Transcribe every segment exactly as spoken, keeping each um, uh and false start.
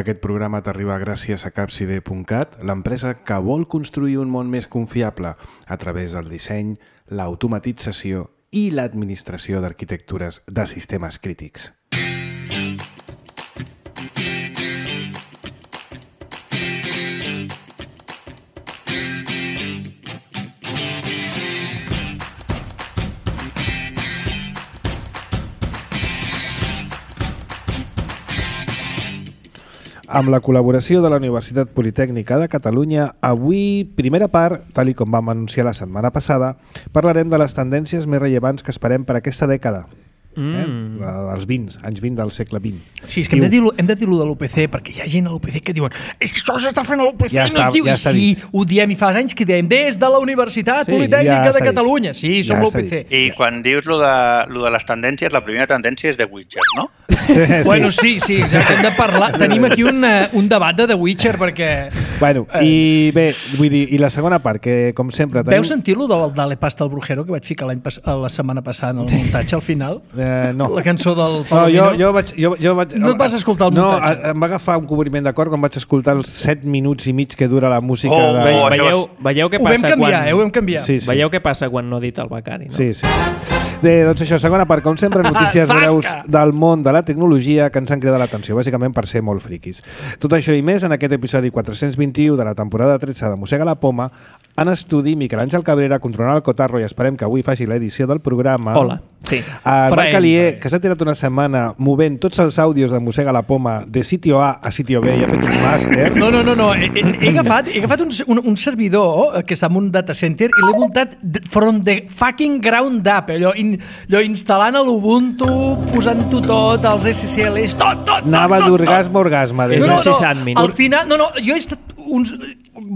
Aquest programa t'arriba gràcies a capside punt cat, l'empresa que vol construir un món més confiable a través del disseny, l'automatització i l'administració d'arquitectures de sistemes crítics. Amb la col·laboració de la Universitat Politècnica de Catalunya, avui, primera part, tal i com vam anunciar la setmana passada, parlarem de les tendències més rellevants que esperem per aquesta dècada. Mm. Eh? Dels vint, anys vint del segle vint. Sí, és que Diu... hem de dir-lo hem de dir-lo de l'U P C, perquè hi ha gent a l'U P C que diuen és que això s'està fent a l'U P C ja i no es diu. Ja I sí, dit. Ho diem i fa anys que diem des de la Universitat sí, Politècnica ja de Catalunya. Dit. Sí, som ja l'U P C. I quan dius lo de, lo de les tendències, la primera tendència és The Witcher, no? Sí. Bueno, sí, sí, exacte. Hem de parlar. Tenim aquí un, un debat de The Witcher perquè... Bueno, eh... i bé, vull dir, i la segona part, que com sempre... Tenim... Veu sentir-lo de Dale Pasta al Brujero que vaig ficar l'any pas... la setmana passada en el muntatge al final? Eh, no. La cançó del no, jo, jo vaig, jo, jo vaig, no et vas escoltar el muntatge? No, em va agafar un cobriment de cor quan vaig escoltar els set minuts i mig que dura la música. Oh, de... oh, veieu, veieu què passa ho vam canviar, quan... eh, ho vam canviar. Sí, sí. Veieu què passa quan no edita el becari, no? Sí, sí. Bé, doncs això, segona part, com sempre, notícies breus del món de la tecnologia que ens han cridat l'atenció, bàsicament per ser molt friquis. Tot això i més en aquest episodi quatre-cents vint-i-u de la temporada tretze de Mossega la Poma. En estudi, Miquel Àngel Cabrera, controlant el cotarro, i esperem que avui faci l'edició del programa. Hola. Sí. El Marc Alier, que s'ha tirat una setmana movent tots els àudios de Mossega la Poma de sitio A a sitio B i ha fet un màster. No, no, no, no. He, he, agafat, he agafat un, un, un servidor que està en un data center i l'he muntat from the fucking ground up, allò, in, allò instal·lant a l'Ubuntu, posant-ho tot, els S S Ls, tot, tot, Anava tot, d'orgasme a orgasme. No, no, no, al final, no, no, jo he estat uns,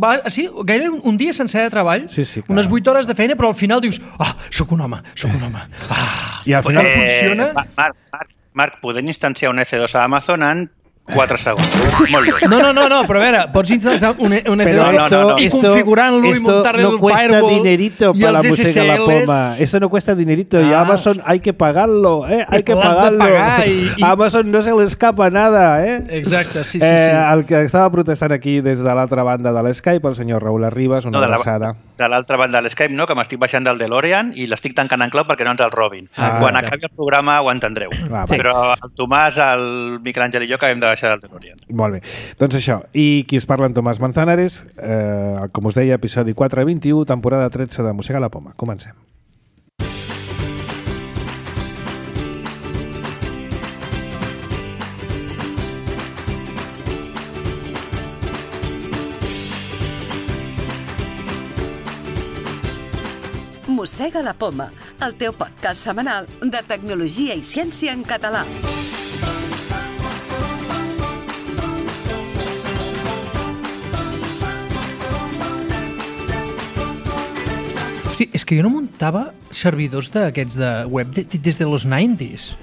va, sí, gairebé un, un dia sencer de treball, sí, sí, unes vuit hores de feina, però al final dius, ah, sóc un home, sóc un home. Ah, I al final eh, funciona. Marc, Marc, Marc, podem instanciar un F dos a Amazon en quatre segons. Molt bé. No, no, no, no, però a veure, pots instal·lar un, un F dos no, no, no. i configurant-lo i muntar-le no el firewall dinerito y para la S S Ls. Mossega la Poma. Eso no cuesta dinerito. Ah. Y Amazon hay que pagarlo, ¿eh? Hay que pagarlo. Y, y... Amazon no se le escapa nada, ¿eh? Exacte, sí, sí, eh, sí. El que estava protestant aquí des de l'altra banda de l'Skype, el senyor Raül Arribas, una no, abraçada. De l'altra banda de l'Skype, no, que m'estic baixant del DeLorean i l'estic tancant en clau perquè no ens el robin. Ah, Quan clar. acabi el programa ho entendreu. Ah, sí. Però el Tomàs, el Miquel Àngel i jo acabem de baixar del DeLorean. Molt bé. Doncs això. I qui us parla en Tomàs Manzanares, eh, com us deia, episodi quatre vint-i-u, temporada tretze de Mossega la Poma. Comencem. Mossega la Poma, el teu podcast setmanal de tecnologia i ciència en català. Hosti, és que jo no muntava servidors d'aquests de web de, des de los nineties.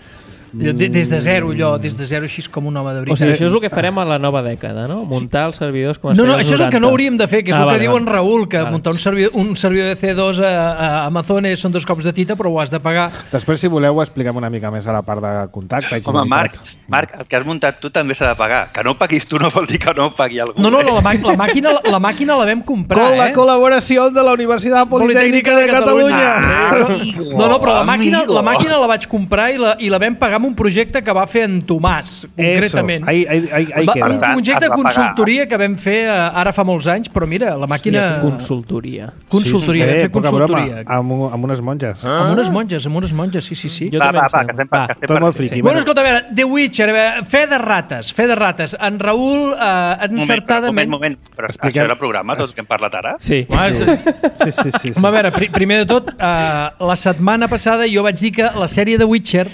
Des de zero, allò, des de zero, així com un home de veritat. O sigui, això és el que farem a la nova dècada, no? Muntar els servidors com es no, feia no, als això és el que no hauríem de fer, que és ah, el que vale, diu en vale. Raül, que vale. muntar un servidor, un servidor de C dos a, a Amazon són dos cops de tita, però ho has de pagar. Després, si voleu, ho expliquem una mica més a la part de contacte i Home, comunitat. Marc, Marc, el que has muntat tu també s'ha de pagar. Que no ho paguis tu no vol dir que no ho pagui algú. No, no, no la, la, màquina, la màquina la vam comprar, Con la eh? col·laboració de la Universitat Politècnica de Catalunya. Ah, no, no, però la màquina, la màquina la vaig comprar i la, i la vam pagar amb un projecte que va fer en Tomàs, concretament. Ahí, ahí, ahí, ahí va, queda. un projecte de consultoria que vam fer uh, ara fa molts anys, però mira, la màquina... Sí, consultoria. Consultoria, sí, sí. vam fer Eh, poca consultoria. broma, amb, amb unes monges. Ah? Amb unes monges, amb unes monges, sí, sí, sí. Jo Va, també va, em va, sembla. que estem per, Va, que estem tot per molt friqui. Sí. Bueno, escolta, a veure, The Witcher, a veure, fe de rates, fe de rates. En Raül, uh, encertadament... Un moment, un moment, però Expliquem. això és el programa, tot el que hem parlat ara? Sí. Ah, Sí, sí, sí. sí. Home, a veure, pr primer de tot, uh, la setmana passada jo vaig dir que la sèrie de Witcher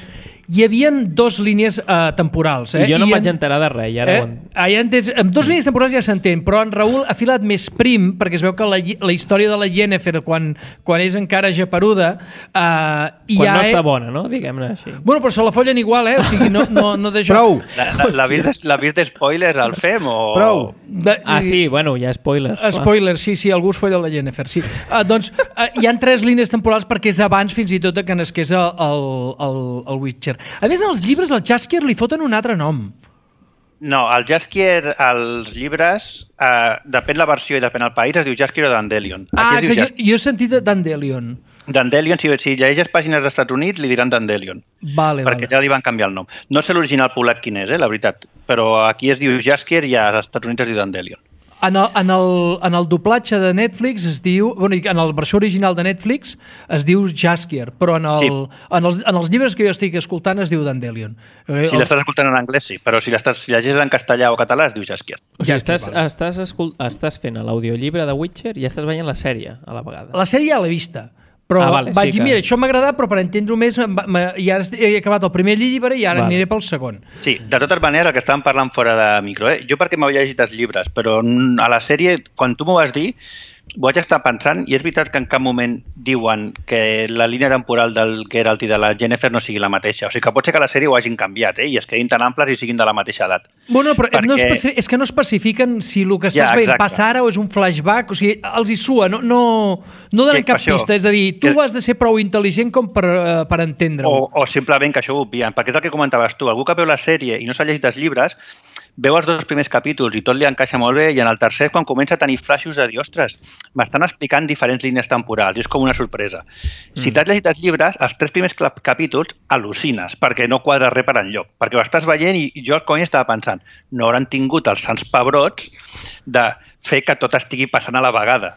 hi havia dos línies uh, temporals. Eh? I jo no I em vaig en... enterar de res, i ara Eh? ho en... Ah, ja entens. Amb dues línies temporals ja s'entén, però en Raül ha filat més prim, perquè es veu que la, la història de la Yennefer, quan, quan és encara japeruda, uh, Quan ja no està és... bona, no? Diguem-ne així. Bueno, però se la follen igual, eh? O sigui, no, no, no deixa... Prou! L'ha vist, vist spoilers al F E M o...? Prou! De... Ah, sí, bueno, hi ha spoilers. clar. Spoiler, sí, sí, algú es folla la Yennefer, sí. Uh, doncs uh, hi han tres línies temporals perquè és abans fins i tot que nasqués el, el, el, el Witcher. A més, en els llibres al Jaskier li foten un altre nom. No, el Jaskier, als llibres, eh, depèn la versió i depèn el país, es diu Jaskier o Dandelion. Ah, Aquí es diu exacte, jo, jo he sentit Dandelion. Dandelion, si, si llegeixes pàgines dels Estats Units, li diran Dandelion. Vale, perquè vale. ja li van canviar el nom. No sé l'original polac quin és, eh, la veritat, però aquí es diu Jaskier i als Estats Units es diu Dandelion. En el, en, el, en el doblatge de Netflix es diu... Bueno, en la versió original de Netflix es diu Jaskier, però en, el, sí. en, els, en els llibres que jo estic escoltant es diu Dandelion. Si l'estàs escoltant en anglès, sí, però si l'estàs si llegeixes en castellà o català es diu Jaskier. O sigui, estàs, estàs, escult... estàs fent l'audiollibre de Witcher i estàs veient la sèrie a la vegada. La sèrie ja l'he vista. Però ah, vale, vaig sí dir, que... mira, això m'ha agradat, però per entendre-ho més, ja he acabat el primer llibre i ara vale. aniré pel segon. Sí, de totes maneres, el que estàvem parlant fora de micro, eh? Jo perquè m'havia llegit els llibres, però a la sèrie, quan tu m'ho vas dir, ho vaig estar pensant, i és veritat que en cap moment diuen que la línia temporal del Geralt i de la Yennefer no sigui la mateixa. O sigui que pot ser que la sèrie ho hagin canviat, eh? I es quedin tan amples i siguin de la mateixa edat. Bueno, però perquè... no especi... és que no especifiquen si el que estàs ja, veient passa ara o és un flashback, o sigui, els hi sua, no, no, no donen cap pista, és a dir, tu que... has de ser prou intel·ligent com per, uh, per entendre-ho. O, o simplement que això ho obvien, perquè és el que comentaves tu, algú que veu la sèrie i no s'ha llegit els llibres, veu els dos primers capítols i tot li encaixa molt bé i en el tercer, quan comença a tenir flaixos de dir, ostres, m'estan explicant diferents línies temporals i és com una sorpresa. Mm. Si t'has llegit els llibres, els tres primers capítols al·lucines perquè no quadra res per enlloc, perquè ho estàs veient i jo al cony estava pensant, no hauran tingut els sants pebrots de fer que tot estigui passant a la vegada.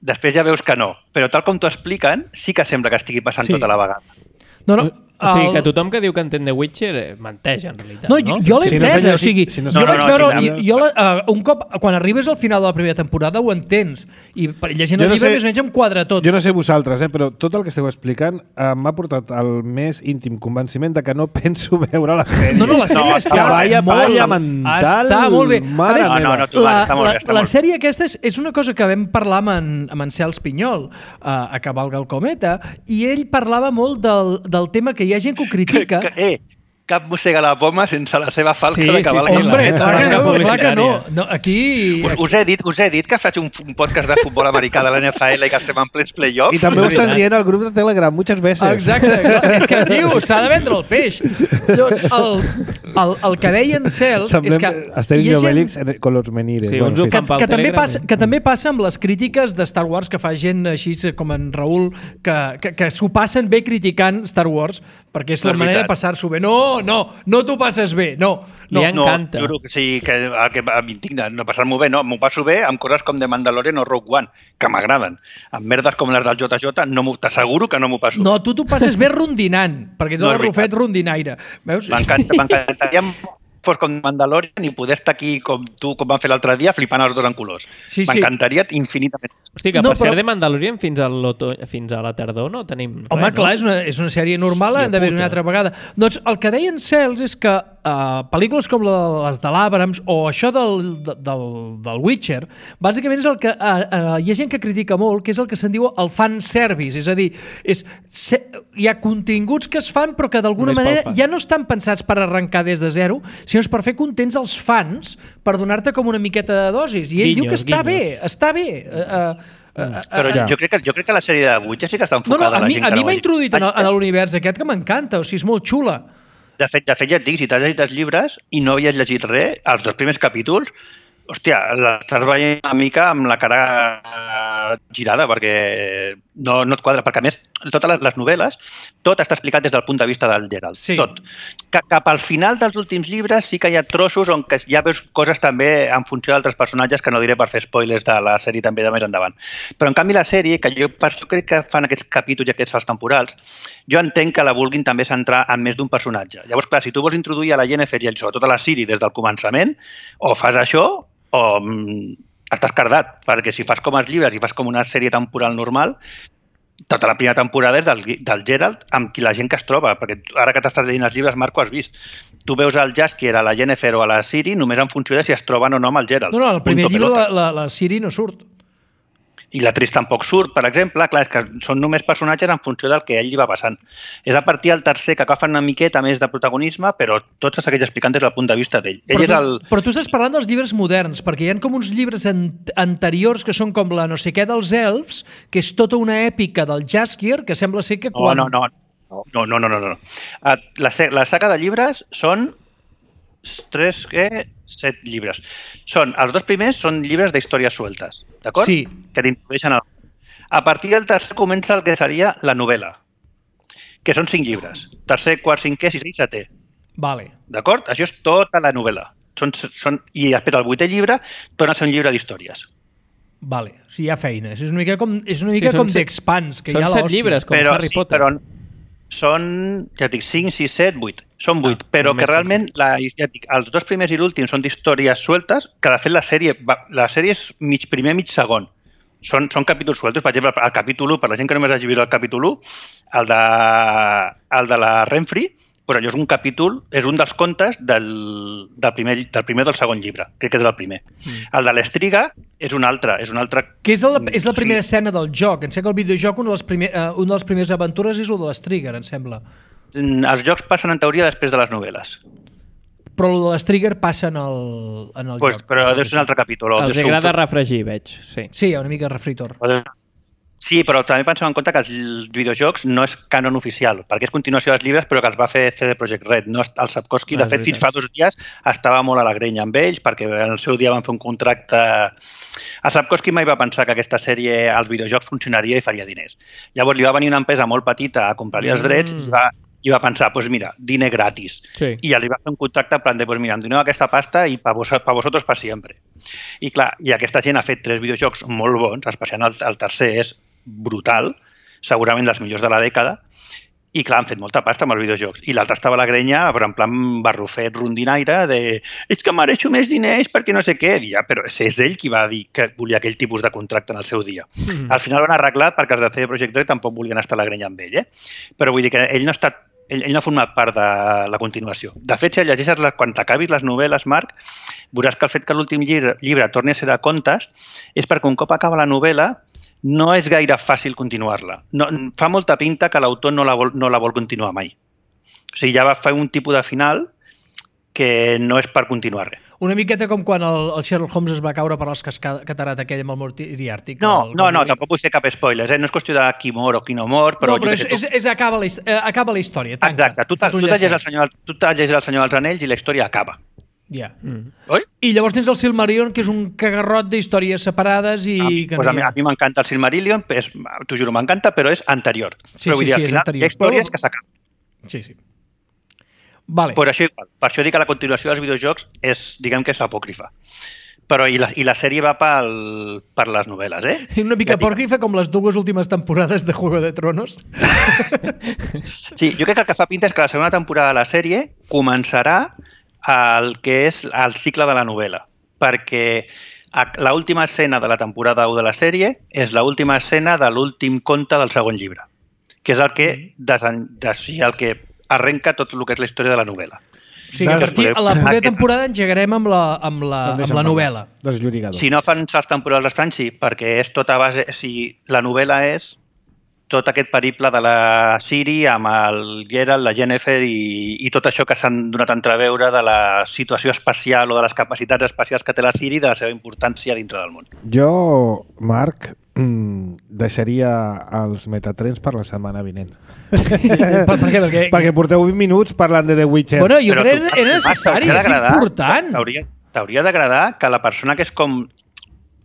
Després ja veus que no, però tal com t'ho expliquen, sí que sembla que estigui passant sí. tot a la vegada. No, no. O sigui, que tothom que diu que entén The Witcher menteix, en realitat, no? No, jo l'he si entès, no o sigui, si no jo no, vaig no, veure, si jo, jo la, uh, un cop, quan arribes al final de la primera temporada ho entens, i llegint el no llibre sé, més o menys em quadra tot. Jo no sé vosaltres, eh, però tot el que esteu explicant uh, m'ha portat el més íntim convenciment de que no penso veure la sèrie. No, no, la sèrie no, està que vaya molt, palla mental. Està molt bé. Mare més, no, no, no, tu, la, està molt la, bé, està la molt sèrie aquesta és, és una cosa que vam parlar amb en, amb en Cels Pinyol uh, a Cavalga el Cometa, i ell parlava molt del, del tema que hi ha gent que ho critica. Que, que, eh, cap mossega la poma sense la seva falca sí, de cavalc. Sí, sí, Hombre, la clar que no, clar que no. no aquí... Us, us, he dit, us he dit que faig un, un podcast de futbol americà de l'N F L i que estem en plens playoffs. I també ho estàs dient al grup de Telegram muchas veces. Exacte, clar. És que, tio, s'ha de vendre el peix. Llavors, el, el, el que deien Cels és que... Estem Obélix gent... con los menires. Sí, bueno, que, que, també passa, que també passa amb les crítiques de Star Wars que fa gent així com en Raül, que, que, que s'ho passen bé criticant Star Wars, perquè és la no manera de passar-s'ho bé. No, no, no t'ho passes bé, no. no. Li encanta. No, juro que sí, que, que m'indigna no passar-m'ho bé, no. M'ho passo bé amb coses com The Mandalorian o Rogue One, que m'agraden. Amb merdes com les del J J, no t'asseguro que no m'ho passo No, tu t'ho passes bé rondinant, perquè ets no el Rufet rondinaire. Veus? M'encantaria fos com Mandalorian i poder estar aquí com tu, com vam fer l'altre dia, flipant els dos en colors. Sí, M'encantaria sí. infinitament. Hosti, que no, per però... ser de Mandalorian fins a, fins a la tardor no tenim res, Home, clar, no? és una, és una sèrie normal, han d'haver una altra vegada. Doncs el que deien Cels és que uh, pel·lícules com les de l'Abrams o això del, del, del Witcher, bàsicament és el que uh, uh, hi ha gent que critica molt, que és el que se'n diu el fan service, és a dir, és, se, hi ha continguts que es fan però que d'alguna manera ja no estan pensats per arrencar des de zero, sinó és per fer contents els fans, per donar-te com una miqueta de dosis. I ell guinyos, diu que està guinyos. bé, està bé. Uh, uh, Però uh, jo crec, que, jo crec que la sèrie de Witcher sí que està enfocada no, no, a, a la mi, gent a que mi no m'ha hagi... introduït en, en l'univers aquest que m'encanta, o sigui, és molt xula. De fet, de fet ja et dic, si t'has llegit els llibres i no havies llegit res, els dos primers capítols, hòstia, l'estàs veient una mica amb la cara girada perquè no, no et quadra. Perquè, a més, totes les, les novel·les, tot està explicat des del punt de vista del Geralt. Sí. Tot. Cap al final dels últims llibres sí que hi ha trossos on que ja veus coses també en funció d'altres personatges que no diré per fer spoilers de la sèrie també de més endavant. Però, en canvi, la sèrie, que jo, jo crec que fan aquests capítols i aquests salts temporals, jo entenc que la vulguin també centrar en més d'un personatge. Llavors, clar, si tu vols introduir a la Yennefer i sobretot a la Ciri des del començament, o fas això o mm, estàs cardat, perquè si fas com els llibres i fas com una sèrie temporal normal, tota la primera temporada és del, del Geralt amb qui la gent que es troba, perquè ara que t'estàs llegint els llibres, Marc, ho has vist. Tu veus el Jaskier, a la Yennefer o a la Ciri només en funció de si es troben o no amb el Geralt. No, no, al primer llibre la, la, la Ciri no surt. I la Triss tampoc surt, per exemple. Clar, és que són només personatges en funció del que a ell li va passant. És a partir del tercer que agafen una miqueta més de protagonisme, però tot se segueix explicant des del punt de vista d'ell. Ell però, és el... tu, però tu estàs parlant dels llibres moderns, perquè hi ha com uns llibres an anteriors que són com la no sé què dels elfs, que és tota una èpica del Jaskier, que sembla ser que quan... No, no, no. No, no, no, no, no. La, la saga de llibres són tres, què? Set llibres. Són, els dos primers són llibres d'històries sueltes, d'acord? Sí. Que t'introdueixen al... A partir del tercer comença el que seria la novel·la, que són cinc llibres. Tercer, quart, cinquè, sisè i setè. Vale. D'acord? Això és tota la novel·la. Són, són... I després el vuitè llibre torna a ser un llibre d'històries. Vale, o sigui, hi ha feines. És una mica com, és una mica Sí, com són set- d'Expanse, que són hi ha set l'hòstia. llibres, com però, Harry sí, Potter. Però són, ja et dic, cinc, sis, set, vuit. Són vuit, Ah, però més que realment la, ja et dic, els dos primers i l'últim són d'històries sueltes, que de fet la sèrie, va- la sèrie és mig primer, mig segon. Són, són capítols sueltos. Per exemple, el capítol u, per la gent que només hagi vist el capítol u, el de, el de la Renfri, però allò és un capítol, és un dels contes del, del, primer, del primer del segon llibre. Crec que és el primer. Mm. El de l'Estriga és un altre. És un altre... Que és, el, és la primera Sí. escena del joc. Em sembla que el videojoc, una de les, primer, uh, una de les primeres aventures és el de l'Strigger, em sembla. Els jocs passen en teoria després de les novel·les. Però el de l'Strigger passa en el, en el Pues, joc. però deu ser un altre capítol. o deu Els ser un- agrada refregir, veig. Sí. Sí, hi ha una mica de refritor. Sí, però també pensem en compte que els videojocs no és canon oficial, perquè és continuació dels llibres, però que els va fer C D Projekt Red. No, el Sapkowski, Ah, de és fet, fins veritat. fa dos dies estava molt a la grenya amb ells, perquè en el seu dia van fer un contracte... El Sapkowski mai va pensar que aquesta sèrie als videojocs funcionaria i faria diners. Llavors li va venir una empresa molt petita a comprar-li els drets Mm. i va, i va pensar, doncs pues mira, diner gratis. Sí. I ja li va fer un contracte en plan de, pues mira, em doneu aquesta pasta i per vos, pa vosaltres per sempre. I clar, i aquesta gent ha fet tres videojocs molt bons, especialment el, el tercer és brutal, segurament dels millors de la dècada, i clar, han fet molta pasta amb els videojocs. I l'altre estava a la grenya, però en plan barrufet, rondinaire, de és que mereixo més diners perquè no sé què. I ja, però és ell qui va dir que volia aquell tipus de contracte en el seu dia. Mm. Al final ho han arreglat perquè els de C D Projekt Red tampoc volien estar a la grenya amb ell, eh? Però vull dir que ell no ha estat ell, ell no ha format part de la continuació. De fet, si llegeixes la, quan t'acabis les novel·les, Marc, veuràs que el fet que l'últim llibre, llibre torni a ser de contes és perquè un cop acaba la novel·la no és gaire fàcil continuar-la. No, fa molta pinta que l'autor no, la vol, no la vol continuar mai. O sigui, ja va fer un tipus de final que no és per continuar res. Una miqueta com quan el, el Sherlock Holmes es va caure per les catarat aquell amb el Moriarty. No, el, no, no, tampoc vull fer cap spoiler, eh? No és qüestió de qui mor o qui no mor, però... no, però jo és, que sé, és, és, acaba, la, his- eh, acaba la història, tanca. Exacte, tu, Fot un tu, llegeix el llacet. senyor, tu te llegeix el Senyor dels Anells i la història acaba. Ja. Mm. Oi? I llavors tens el Silmarillion, que és un cagarrot d'històries separades i... Ah, que pues no a mi, hi ha. a mi m'encanta el Silmarillion, és, t'ho juro, m'encanta, però és anterior. Sí, però sí, vull dir, sí, al és final, anterior. Hi ha històries Però- que s'acaben. Sí, sí. Vale. Per això, igual, per això dic que la continuació dels videojocs és, diguem que és apòcrifa. Però i la, i la sèrie va pel, per les novel·les, eh? I una mica Ja dic- apòcrifa com les dues últimes temporades de Juego de Tronos. Sí, jo crec que el que fa pinta és que la segona temporada de la sèrie començarà el que és el cicle de la novel·la, perquè l'última escena de la temporada u de la sèrie és l'última escena de l'últim conte del segon llibre, que és el que, desen, des, el que arrenca tot el que és la història de la novel·la. O sigui, que a partir, a la propera Aquest- temporada engegarem amb la, amb la, amb la novel·la. Desllorigador. Si no fan salts temporals estrany, sí, perquè és tota base... O sigui, la novel·la és tot aquest periple de la Ciri amb el Geralt, la Yennefer i, i tot això que s'han donat a entreveure de la situació espacial o de les capacitats espacials que té la Ciri i de la seva importància dintre del món. Jo, Marc, mm, deixaria els metatrens per la setmana vinent. per, per què? Perquè, Perquè porteu vint minuts parlant de The Witcher. Bueno, jo Però crec tu, que era Marc, necessari, t'hauria és d'agradar- important. t'hauria- T'hauria d'agradar que la persona que és com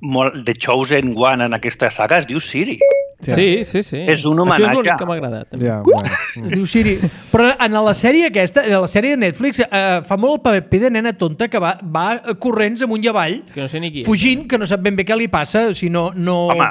molt The Chosen One en aquesta saga es diu Ciri. Ja. Sí, sí, sí. És un Això homenatge. és l'únic que m'ha agradat. Ja, bueno. Es diu Siri. Però en la sèrie aquesta, en la sèrie de Netflix, eh, fa molt el paper de nena tonta que va, va corrents amunt i avall, És que no sé ni qui. fugint, que no sap ben bé què li passa, o sigui, no, no, Home.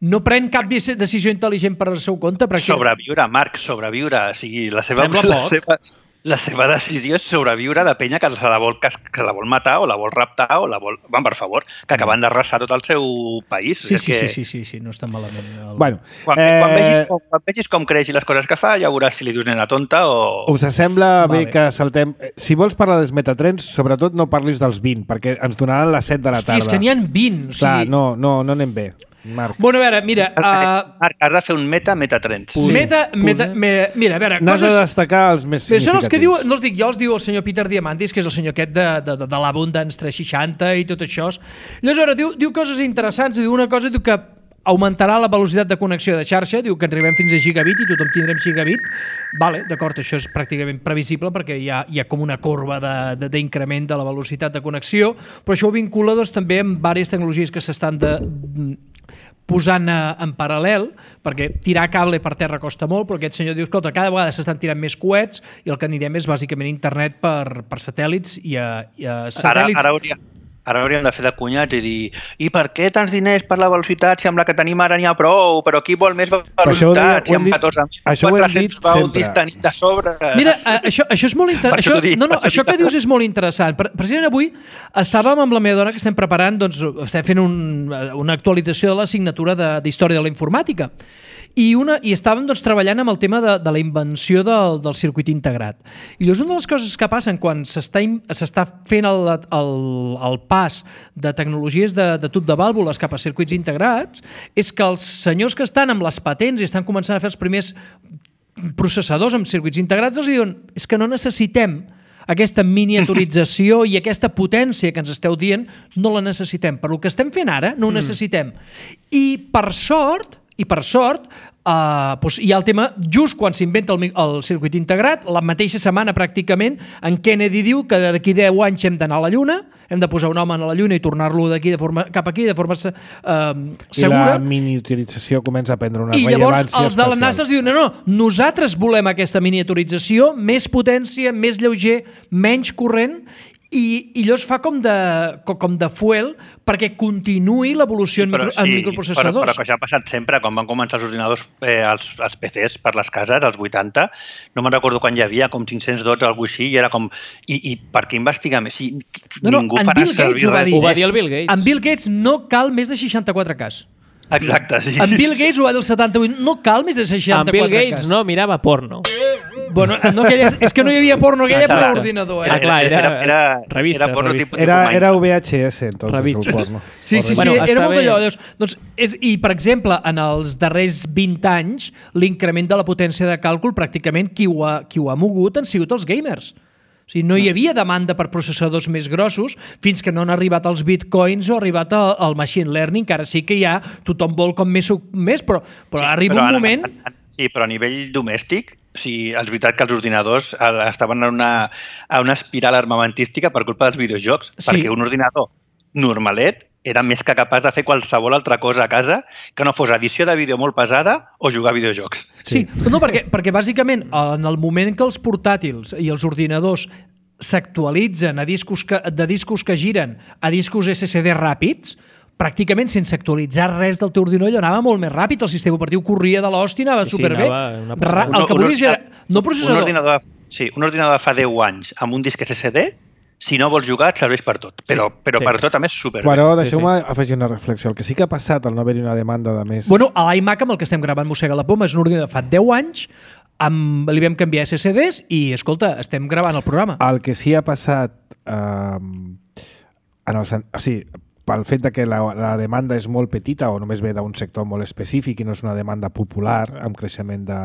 no pren cap deci- decisió intel·ligent per al seu compte. Perquè... Sobreviure, Marc, sobreviure. O sigui, la seva, Sembla la poc. seva, la seva decisió és sobreviure de penya que se la vol, que, que la vol matar o la vol raptar o la vol... Van, per favor, que acaben d'arrasar tot el seu país. Sí, És sí, que... sí, sí, sí, sí, no està malament. El... bueno Quan, eh, quan, vegis, com, quan vegis com creix i les coses que fa, ja veuràs si li dius nena tonta o... us sembla Vale. bé que saltem... Eh, Si vols parlar dels metatrens, sobretot no parlis dels vint, perquè ens donaran les set de la Hosti, tarda. és que n'hi ha vint. O sigui... Clar, no, no, no anem bé, Marc. Bueno, a veure, mira... Uh, Marc, has de fer un meta, meta-trends. Sí. meta, meta, me, mira, a veure, N'has de coses... destacar els més Bé, són els que diu, significatius. no els dic jo, els diu el senyor Peter Diamandis, que és el senyor aquest de, de, de, de l'Abundance tres seixanta i tot això. Llavors, a veure, diu, diu coses interessants, diu una cosa, diu que augmentarà la velocitat de connexió de xarxa, diu que arribem fins a gigabit i tothom tindrem gigabit. Vale, d'acord, això és pràcticament previsible perquè hi ha, hi ha com una corba d'increment de, de, de la velocitat de connexió, però això ho vincula doncs, també amb diverses tecnologies que s'estan de, posant en paral·lel, perquè tirar cable per terra costa molt, però aquest senyor diu, escolta, cada vegada s'estan tirant més coets i el que anirem és bàsicament internet per, per satèl·lits i a, i a satèl·lits... Ara, ara hauria... Ara hauríem de fer de cunyats i dir i per què tants diners per la velocitat si amb la que tenim ara n'hi ha prou, però qui vol més velocitat si amb catorze mil quatre-cents baudis tenim de sobre? Mira, això, això és molt interessant. Això, no, no, això que dius és molt interessant. Precisament avui estàvem amb la meva dona que estem preparant, doncs estem fent un, una actualització de l'assignatura d'Història de la Informàtica. I, una, i estàvem doncs, treballant amb el tema de, de la invenció del, del circuit integrat. I llavors una de les coses que passen quan s'està fent el, el, el pas de tecnologies de, de tub de vàlvules cap a circuits integrats és que els senyors que estan amb les patents i estan començant a fer els primers processadors amb circuits integrats els diuen és que no necessitem aquesta miniaturització i aquesta potència que ens esteu dient, no la necessitem. Per el que estem fent ara, no ho necessitem. I per sort, i per sort, uh, doncs hi ha el tema, just quan s'inventa el, el circuit integrat, la mateixa setmana pràcticament, en Kennedy diu que d'aquí deu anys hem d'anar a la Lluna, hem de posar un home a la Lluna i tornar-lo d'aquí de forma, cap aquí de forma uh, segura. I la miniaturització comença a prendre una I rellevància llavors els de la NASA es diuen, no, no, nosaltres volem aquesta miniaturització, més potència, més lleuger, menys corrent, i, i allò es fa com de, com de fuel perquè continuï l'evolució en, micro, sí, en microprocessadors. Però, però que això ha passat sempre, quan van començar els ordinadors, eh, els, els P Cs per les cases, als vuitanta, no me'n recordo quan hi havia, com cinc-cents dotze, alguna així, i era com... I, i per què investigar més? Si no, no, ningú en farà Bill Gates ho va dir. Ho va dir el Bill Gates. En Bill Gates no cal més de seixanta-quatre K. Exacte, sí. En Bill Gates ho va dir el setanta-vuit, no cal més de seixanta-quatre K. En Bill Gates no, mirava porno. Bueno, no, aquella, és que no hi havia porno, aquella era l'ordinador. Eh? Era, clar, era, era, era revista. Era, porno revista. Tipus, era, era V H S, entonces, revista. el porno. Sí, sí, sí, bueno, era molt d'allò. bé. Doncs, doncs, és, I, per exemple, en els darrers vint anys, l'increment de la potència de càlcul, pràcticament qui ho ha, qui ho ha mogut han sigut els gamers. O sigui, no hi havia demanda per processadors més grossos fins que no han arribat els bitcoins o ha arribat el, el machine learning, que ara sí que ja tothom vol com més, més però, però sí, arriba però un a, moment... A, a, sí, però a nivell domèstic, sí, és veritat que els ordinadors estaven en una, a una espiral armamentística per culpa dels videojocs, sí. Perquè un ordinador normalet era més que capaç de fer qualsevol altra cosa a casa que no fos edició de vídeo molt pesada o jugar a videojocs. Sí, sí. No, perquè, perquè bàsicament en el moment que els portàtils i els ordinadors s'actualitzen a discos que, de discos que giren a discos S S D ràpids, pràcticament sense actualitzar res del teu ordinador anava molt més ràpid, el sistema operatiu corria de l'hòstia, anava sí, superbé. Anava Ra el que volies era... No processador. Un ordinador, sí, un ordinador de fa deu anys amb un disc S S D, si no vols jugar, et serveix per tot. Però, sí, però sí. Per tot, a més, superbé. Però deixeu-me sí, sí. afegir una reflexió. El que sí que ha passat al no haver-hi una demanda de més... Bueno, a l'iMac amb el que estem gravant Mossega la Poma és un ordinador de fa deu anys, amb, li vam canviar S S Ds i, escolta, estem gravant el programa. El que sí ha passat... Eh, en el, o sigui, pel fet de que la, la demanda és molt petita o només ve d'un sector molt específic i no és una demanda popular amb creixement de,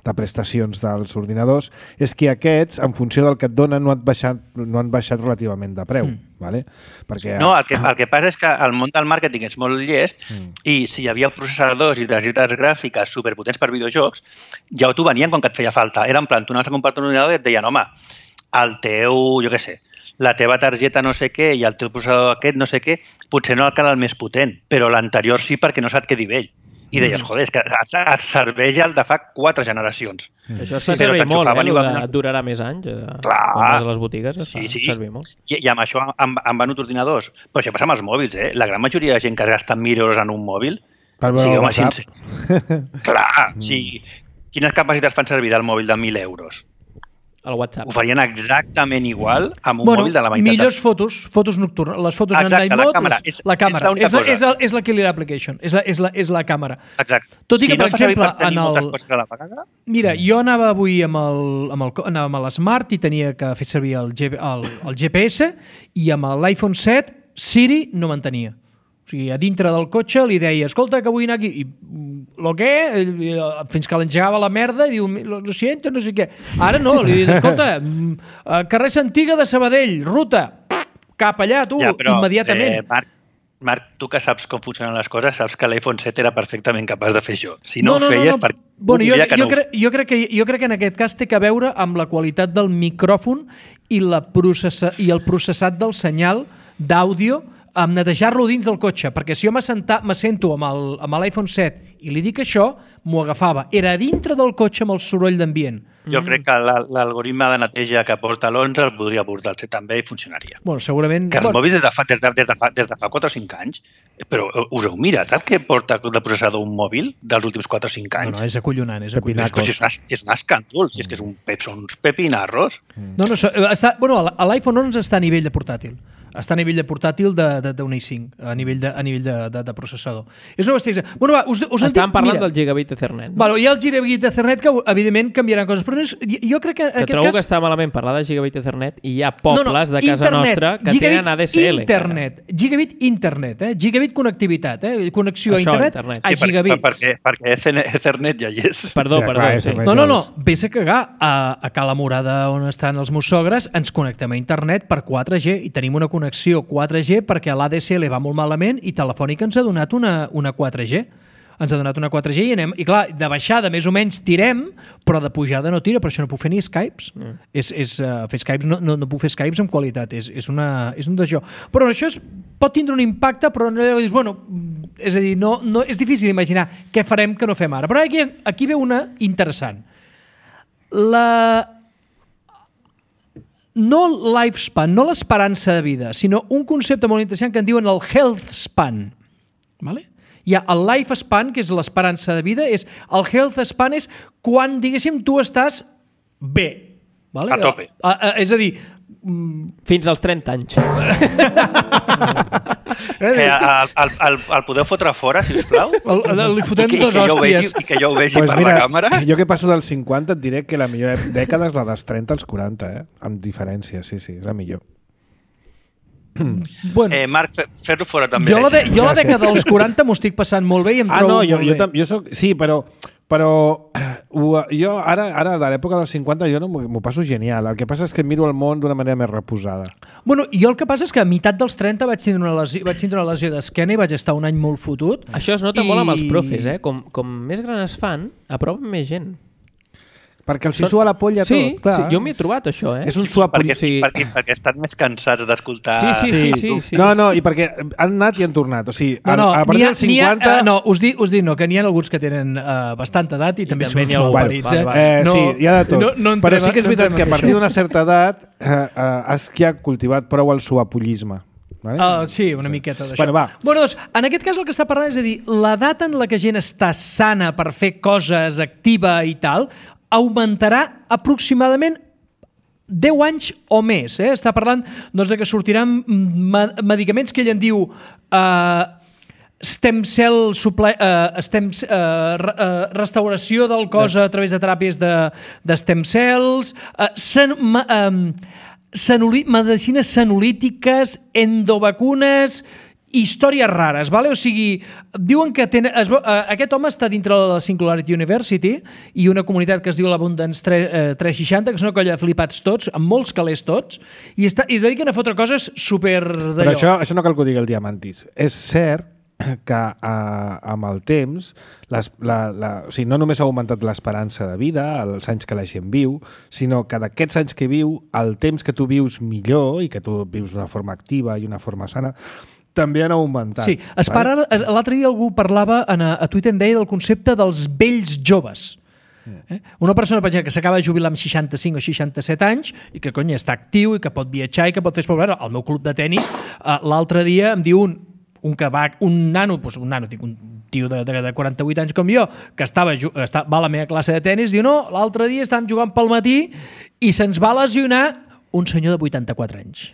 de prestacions dels ordinadors, és que aquests, en funció del que et donen, no, et baixat, no han baixat relativament de preu. Mm. Vale? Perquè, no, el que, el que passa és que el món del màrqueting és molt llest mm. i si hi havia processadors i targetes gràfiques superpotents per videojocs, ja t'ho venien quan que et feia falta. Era en plan, tu anaves a comprar un ordinador i et deien, home, el teu, jo què sé, la teva targeta no sé què i el teu processador aquest no sé què, potser no el cal el més potent, però l'anterior sí perquè no se't quedi vell. I deies, joder, és que et serveix el de fa quatre generacions. Mm. Això es fa servir molt, eh? Va... durarà més anys. Clar. Quan vas a les botigues es fa sí, sí. servir molt. I, I amb això han, han venut ordinadors. Però això passa amb els mòbils, eh? La gran majoria de gent que gasta mil euros en un mòbil... Per veure el WhatsApp. Clar, mm. sí. Quines capacitats fan servir del mòbil de mil euros? El WhatsApp. Ho farien exactament igual amb un bueno, mòbil de la meitat. Millors fotos, fotos nocturnes. Les fotos en night mode, la càmera. És, la càmera. És, és, és, és la killer application. És la, és la, és la càmera. Exacte. Tot i que, si per no exemple, per en el... a la vegada... Mira, jo anava avui amb el, amb el, anava amb l'Smart i tenia que fer servir el, G, el, el G P S i amb l'iPhone set Siri no m'entenia. O sigui, a dintre del cotxe li deia, escolta, que vull anar aquí. I, lo què? Fins que l'engegava la merda i diu, lo siento, no sé què. Ara no, li dic, escolta, carrer Santiga de Sabadell, ruta, cap allà, tu, ja, però, immediatament. Eh, Marc, Marc, tu que saps com funcionen les coses, saps que l'iPhone set era perfectament capaç de fer això. Si no, no, no ho feies, no, no. perquè bueno, jo, que jo, no... cre jo, crec que, jo crec que en aquest cas té a veure amb la qualitat del micròfon i, la processa i el processat del senyal d'àudio amb netejar-lo dins del cotxe, perquè si jo m'assento amb l'iPhone set i li dic això, m'ho agafava. Era a dintre del cotxe amb el soroll d'ambient. Jo crec que l'algoritme de neteja que porta l'onze el podria portar el set també i funcionaria. Bueno, segurament... Que els bueno. mòbils des de, fa, des, de, des, de fa, des de fa quatre o cinc anys, però us heu mirat el que porta de processador un mòbil dels últims quatre o cinc anys? No, no, és acollonant, és acollonant. Però si és, una, és un escàndol, si és que és un, són uns pepinarros. No, no, està, bueno, l'iPhone onze està a nivell de portàtil. Està a nivell de portàtil d'un i cinc, a nivell de, a nivell de, de, de processador. És una bestiesa. Bueno, va, us, us Estàvem parlant mira, del gigabit Ethernet. No? Vale, hi ha el gigabit Ethernet que, evidentment, canviaran coses. Però no és, jo crec que en que aquest trobo cas... que està malament parlar de gigabit Ethernet i hi ha pobles no, no, de casa internet, nostra que tenen A D S L. Internet, encara. Gigabit internet, eh? Gigabit connectivitat, eh? Connexió Això, a internet, internet. a Sí, gigabits. perquè, perquè Ethernet ja hi és. Perdó, Sí, perdó. clar, Sí. Ethernet. No, no, no, vés a cagar. A, a Cala Morada, on estan els meus sogres, ens connectem a internet per quatre G i tenim una connexió quatre G perquè l'A D S L va molt malament i Telefònica ens ha donat una, una quatre G. Ens ha donat una quatre G i anem... I clar, de baixada més o menys tirem, però de pujada no tira, per això no puc fer ni Skypes. Mm. És, és, uh, fer Skypes no, no, no puc fer Skypes amb qualitat, és, és, una, és un d'això. Però això és, pot tindre un impacte, però no dius, bueno, és a dir, no, no, és difícil imaginar què farem que no fem ara. Però aquí, aquí ve una interessant. La... No lifespan, no l'esperança de vida, sinó un concepte molt interessant que en diuen el health span. Vale? Hi ha el lifespan, que és l'esperança de vida, és el health span és quan, diguéssim, tu estàs bé. Vale? A tope. A, a, és a dir... Fins als trenta anys. Que el, el, el, el podeu fotre fora, sisplau? El, el, li fotem I que, dos i que jo hòsties. vegi, I que jo ho vegi Pues per mira, la càmera. jo que passo dels cinquanta et diré que la millor dècada és la dels trenta als quaranta, eh? Amb diferència, sí, sí, és la millor. Bueno, Eh, Marc, fer-ho fora també. jo la, de, jo la dècada dels quaranta m'ho estic passant molt bé i em Ah, trobo no, jo, molt jo, bé. tam- jo soc... Sí, però... Però ho, jo ara, ara de l'època dels cinquanta jo no m'ho passo genial. El que passa és que miro el món d'una manera més reposada. Bueno, jo el que passa és que a meitat dels trenta vaig tindre una lesió, vaig tindre una lesió d'esquena i vaig estar un any molt fotut. Això es nota I... molt amb els profes, eh? Com, com més gran es fan, apropen més gent. Perquè els hi sua la polla sí, tot, clar. sí, jo m'he trobat això, eh? És un suar perquè, sí. perquè, perquè estan més cansats d'escoltar... Sí, sí, sí, sí, sí. No, no, i perquè han anat i han tornat. O sigui, No, no, a, a n'hi partir ha, dels n'hi ha, cinquanta... uh, no, us dic, us dic no, que n'hi ha alguns que tenen uh, bastanta edat i, I també també són n'hi ha molt algun- parits. val, Eh? val. Eh, no, sí, hi ha de tot. No, no entrem, Però sí que és no veritat entrem que a en partir això. d'una certa edat eh, eh, has que ha cultivat prou el suapollisme. Vale? Uh, sí, una miqueta d'això. Bueno, va. Bueno, doncs, en aquest cas el que està parlant és a dir, l'edat en la que gent està sana per fer coses, activa i tal, augmentarà aproximadament deu anys o més. Eh? Està parlant doncs, de que sortiran me medicaments que ell en diu uh, stem cell suple uh, stem, uh, re uh, restauració del cos a través de teràpies de, de stem cells, uh, sen ma um, senoli medicines senolítiques, endovacunes, històries rares, vale? O sigui, diuen que ten, es, uh, aquest home està dintre de la Singularity University i una comunitat que es diu l'Abundance tres seixanta, que són una colla de flipats tots, amb molts calés tots, i, està, i es dediquen a fotre coses super d'allò. Però això, això no cal que ho digui el Diamantis. És cert que eh, amb el temps les, la, la, o sigui, no només ha augmentat l'esperança de vida, els anys que la gent viu, sinó que d'aquests anys que viu, el temps que tu vius millor i que tu vius d'una forma activa i una forma sana, també han augmentat. Sí, es para, l'altre dia algú parlava a, a Twitter en deia del concepte dels vells joves. Eh? Una persona, per exemple, que s'acaba de jubilar amb seixanta-cinc o seixanta-set anys i que, cony, està actiu i que pot viatjar i que pot fer esport. Al meu club de tennis, uh, l'altre dia em diu un, un que va, un nano, doncs un nano, dic, un tio de, de, de quaranta-vuit anys com jo, que estava, està, va a la meva classe de tennis, diu, no, l'altre dia estàvem jugant pel matí i se'ns va lesionar un senyor de vuitanta-quatre anys.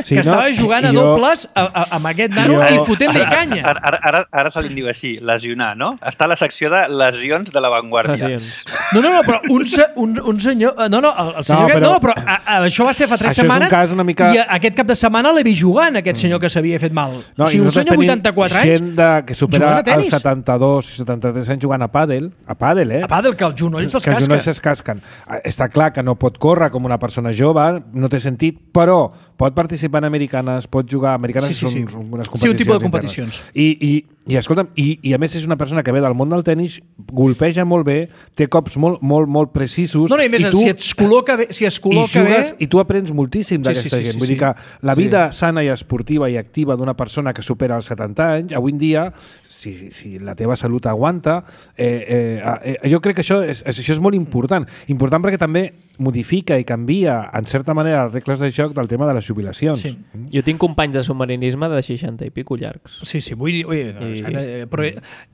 Sí, que estava no? jugant a Jo- dobles a, a, amb aquest nano Jo- i fotent-li canya. Ara, ara, ara, ara se li diu així, lesionar, no? Està a la secció de lesions de l'avantguàrdia. Lesions. No, no, no, però un, se, un, un senyor... No, no, el, el senyor... No, No, però- però, no, però a, a, això va ser fa tres Això és un setmanes cas una mica- i a, aquest cap de setmana l'he vist jugant, aquest senyor que s'havia fet mal. No, o sigui, i un nosaltres senyor de tenim vuitanta-quatre anys gent de, que supera jugant a els tenis. setanta-dos i setanta-tres anys jugant a pàdel, a pàdel, eh? A pàdel, que els genolls els que els casca. genolls es casquen. Està clar que no pot córrer com una persona jove, no té sentit, però però pot participar en americanes, pot jugar... Americanes sí, sí, sí. són unes competicions. Sí, un tipus de competicions. I, i, i escolta'm, i, i a més és una persona que ve del món del tenis, golpeja molt bé, té cops molt, molt, molt precisos... No, no, i més, i tu, si et col·loca bé... Si es col·loca i jugues, bé... I tu aprens moltíssim d'aquesta sí, sí, sí, gent. sí, Vull sí. dir que la vida sí. sana i esportiva i activa d'una persona que supera els setanta anys, avui en dia, si, si la teva salut aguanta, eh, eh, eh, jo crec que això és, això és molt important. Important perquè també modifica i canvia, en certa manera, les regles de joc del tema de les jubilacions. Sí. Mm. Jo tinc companys de submarinisme de seixanta i pico llargs. Sí, sí, vull dir... Ui, no, I... I, però,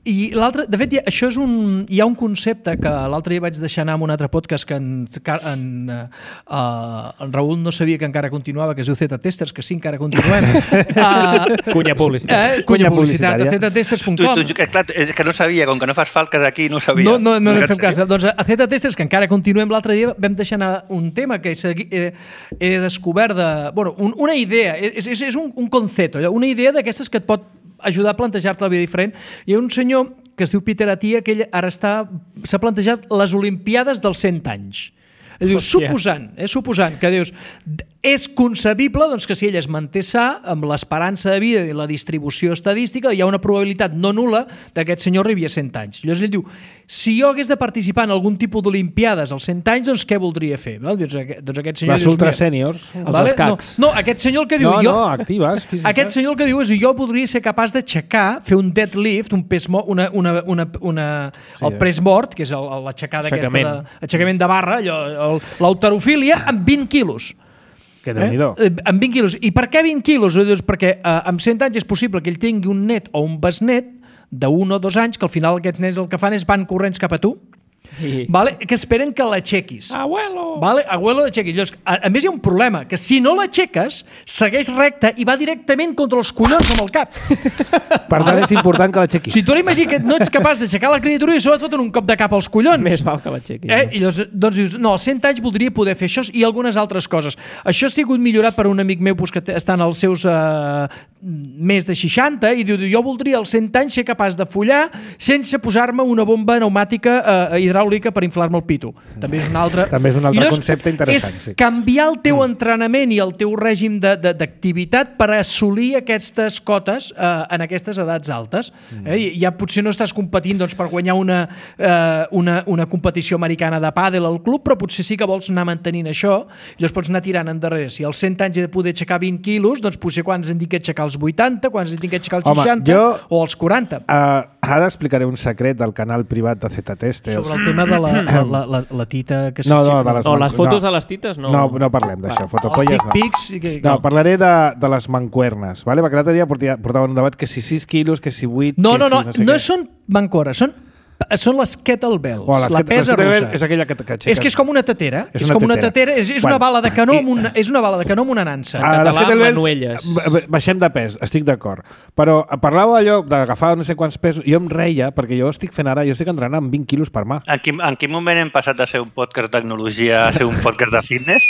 I l'altre... De fet, això és un... Hi ha un concepte que l'altre dia vaig deixar anar en un altre podcast que en, en, uh, en Raül no sabia que encara continuava, que es diu Z-Testers, que sí, encara continuem. uh, Cunya publicitat. Eh? Cunya publicitat, a z testers punt com. Tu, tu, clar, que no sabia, com que no fas falques aquí, no ho sabia. No, no, no, no fem cas. Doncs a Z-Testers, que encara continuem, l'altre dia vam deixar anar un tema que he, he descobert de... Bueno, un, una idea, és, és, és un, un concepte, una idea d'aquestes que et pot ajudar a plantejar-te la vida diferent. Hi ha un senyor que es diu Peter Attia, que ell ara està s'ha plantejat les Olimpiades dels cent anys. Ell diu, suposant, eh, suposant que dius, és concebible doncs, que si ell es manté sa, amb l'esperança de vida i la distribució estadística, hi ha una probabilitat no nul·la que aquest senyor arribi a cent anys. Llavors ell diu, si jo hagués de participar en algun tipus d'Olimpiades als cent anys, doncs què voldria fer? Val? Doncs, doncs aquest senyor les ultra sèniors, vale? els escacs. No, no, aquest senyor el que diu... No, jo, no, actives, físiques. Aquest senyor el que diu és jo podria ser capaç d'aixecar, fer un deadlift, un pes mo, una, una, una, una, sí, el pres mort, que és l'aixecada aquesta de, aixecament de barra, l'halterofília, amb vint quilos. Que déu-n'hi-do. Eh? Amb vint quilos. I per què vint quilos? Doncs perquè eh, amb cent anys és possible que ell tingui un net o un besnet d'un o dos anys, que al final aquests nens el que fan és van corrents cap a tu, I... vale? Que esperen que l'aixequis. Abuelo! Vale? Abuelo, l'aixequis. Llavors, a, a més hi ha un problema, que si no l'aixeques, segueix recte i va directament contra els collons amb el cap. Per tant, vale? És important que l'aixequis. Si tu ara imagina que no ets capaç d'aixecar la criatura i això et foten un cop de cap als collons. Més val que l'aixequis. Eh? I llavors, doncs dius, no, als cent anys voldria poder fer això i algunes altres coses. Això ha sigut millorat per un amic meu pues, que està en els seus uh, més de seixanta i diu, jo voldria als cent anys ser capaç de follar sense posar-me una bomba pneumàtica uh, hidràulica per inflar-me el pito. També és un altre, També és un altre llavors, concepte interessant. És sí. canviar el teu entrenament i el teu règim d'activitat per assolir aquestes cotes uh, en aquestes edats altes. Eh? I ja potser no estàs competint doncs, per guanyar una, uh, una, una competició americana de pàdel al club, però potser sí que vols anar mantenint això i llavors pots anar tirant endarrere. Si als cent anys he de poder aixecar vint quilos, doncs potser quan ens en dic que aixecar els vuitanta, quan ens en dic que aixecar els Home, seixanta jo, o els quaranta. Uh, ara explicaré un secret del canal privat de Z-Testers. Sobre el tema de la, la, la, la, la tita que no, no, de les, o les fotos no, de les tites no. No, no parlem d'això. Fotopolles els dick pics, no. Que, no. No, parlaré de, de les mancuernes, vale? Perquè l'altre dia portaven un debat que si sis quilos, que si vuit... No, que no, no, si no, sé no què. són mancuernes, són són les kettlebells, oh, les la ket pesa russa. És aquella que t'aixeques. És que és com una tetera. És, és una com una tetera. tetera, és, és, bueno, una bala de canó amb i, una, és una bala de canó amb una nansa. En català, les kettlebells, manuelles. Baixem de pes, estic d'acord. Però parlàveu allò d'agafar no sé quants pesos, jo em reia, perquè jo estic fent ara, jo estic entrenant amb vint quilos per mà. En quin, en quin moment hem passat de ser un podcast de tecnologia a ser un podcast de fitness?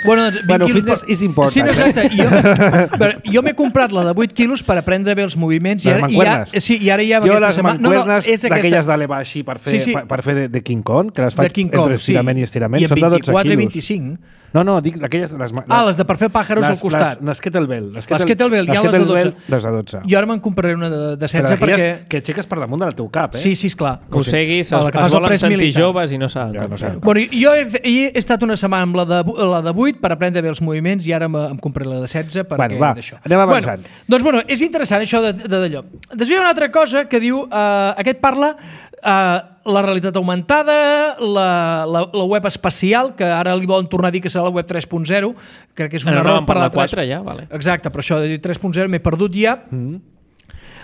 bueno, doncs, bueno fitness per... is important. Sí, no, exacte. Jo, jo m'he comprat la de vuit quilos per aprendre bé els moviments. Les i ara, mancuernes? I ja, sí, i ara ja... Jo les setmana... mancuernes no, no, d'aquelles d'elevar així per fer, sí, sí. per, per fer de, de King Kong, que les faig King Kong, entre estirament sí. i estirament, I són de dotze vint-i-quatre i quilos. vint-i-cinc. No, no, dic aquelles... Les, ah, les de per fer pàjaros les, al costat. Les, les kettlebell. Les kettlebell, les kettlebell hi ha les de dotze. Les de dotze. Jo ara me'n compraré una de, de setze perquè... perquè... Que aixeques per damunt del teu cap, eh? Sí, sí, esclar. O sigui, es, es, es volen sentir joves i no saben. Ja, no saben. Bueno, jo he, he estat una setmana amb la de, la de vuit per aprendre bé els moviments i ara em compraré la de setze perquè bueno, va, d'això. anem avançant. Bueno, doncs, bueno, és interessant això d'allò. Després hi ha una altra cosa que diu... Uh, aquest parla... Uh, la realitat augmentada, la, la, la web espacial, que ara li volen tornar a dir que serà la web tres punt zero, crec que és un no, error no, per la quatre ja, vale. Exacte, però això de dir tres punt zero m'he perdut ja. Mm-hmm.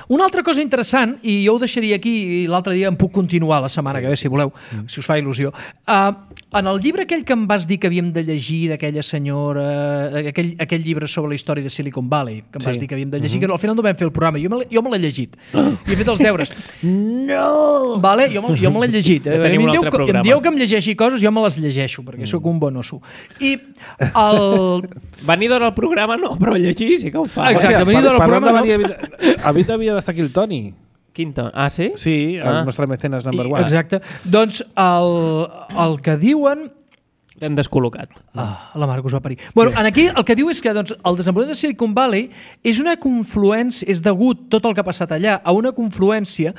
Una altra cosa interessant, i jo ho deixaria aquí i l'altre dia em puc continuar la setmana sí. que ve, si voleu, mm. si us fa il·lusió. Uh, en el llibre aquell que em vas dir que havíem de llegir d'aquella senyora, aquell, aquell llibre sobre la història de Silicon Valley, que em sí. vas dir que havíem de llegir, mm-hmm. que al final no vam fer el programa, jo me, jo me l'he llegit, oh. i he fet els deures. No! Vale? Jo, me, jo me l'he llegit. Ja tenim un altre que, programa. Em dieu que em llegeixi coses, jo me les llegeixo, perquè mm. sóc un bon osso. I el... Venir d'hora al programa no, però llegir sí que ho fa. Exacte, venir d'hora al programa no. Avui havia d'estar aquí el Toni. Quin Toni? Ah, sí? Sí, el ah. nostre mecenes number I, one. exacte. Doncs el, el que diuen L'hem descol·locat. Ah, la Marc us va parir. Bueno, en aquí el que diu és que doncs, el desenvolupament de Silicon Valley és una confluència, és degut tot el que ha passat allà a una confluència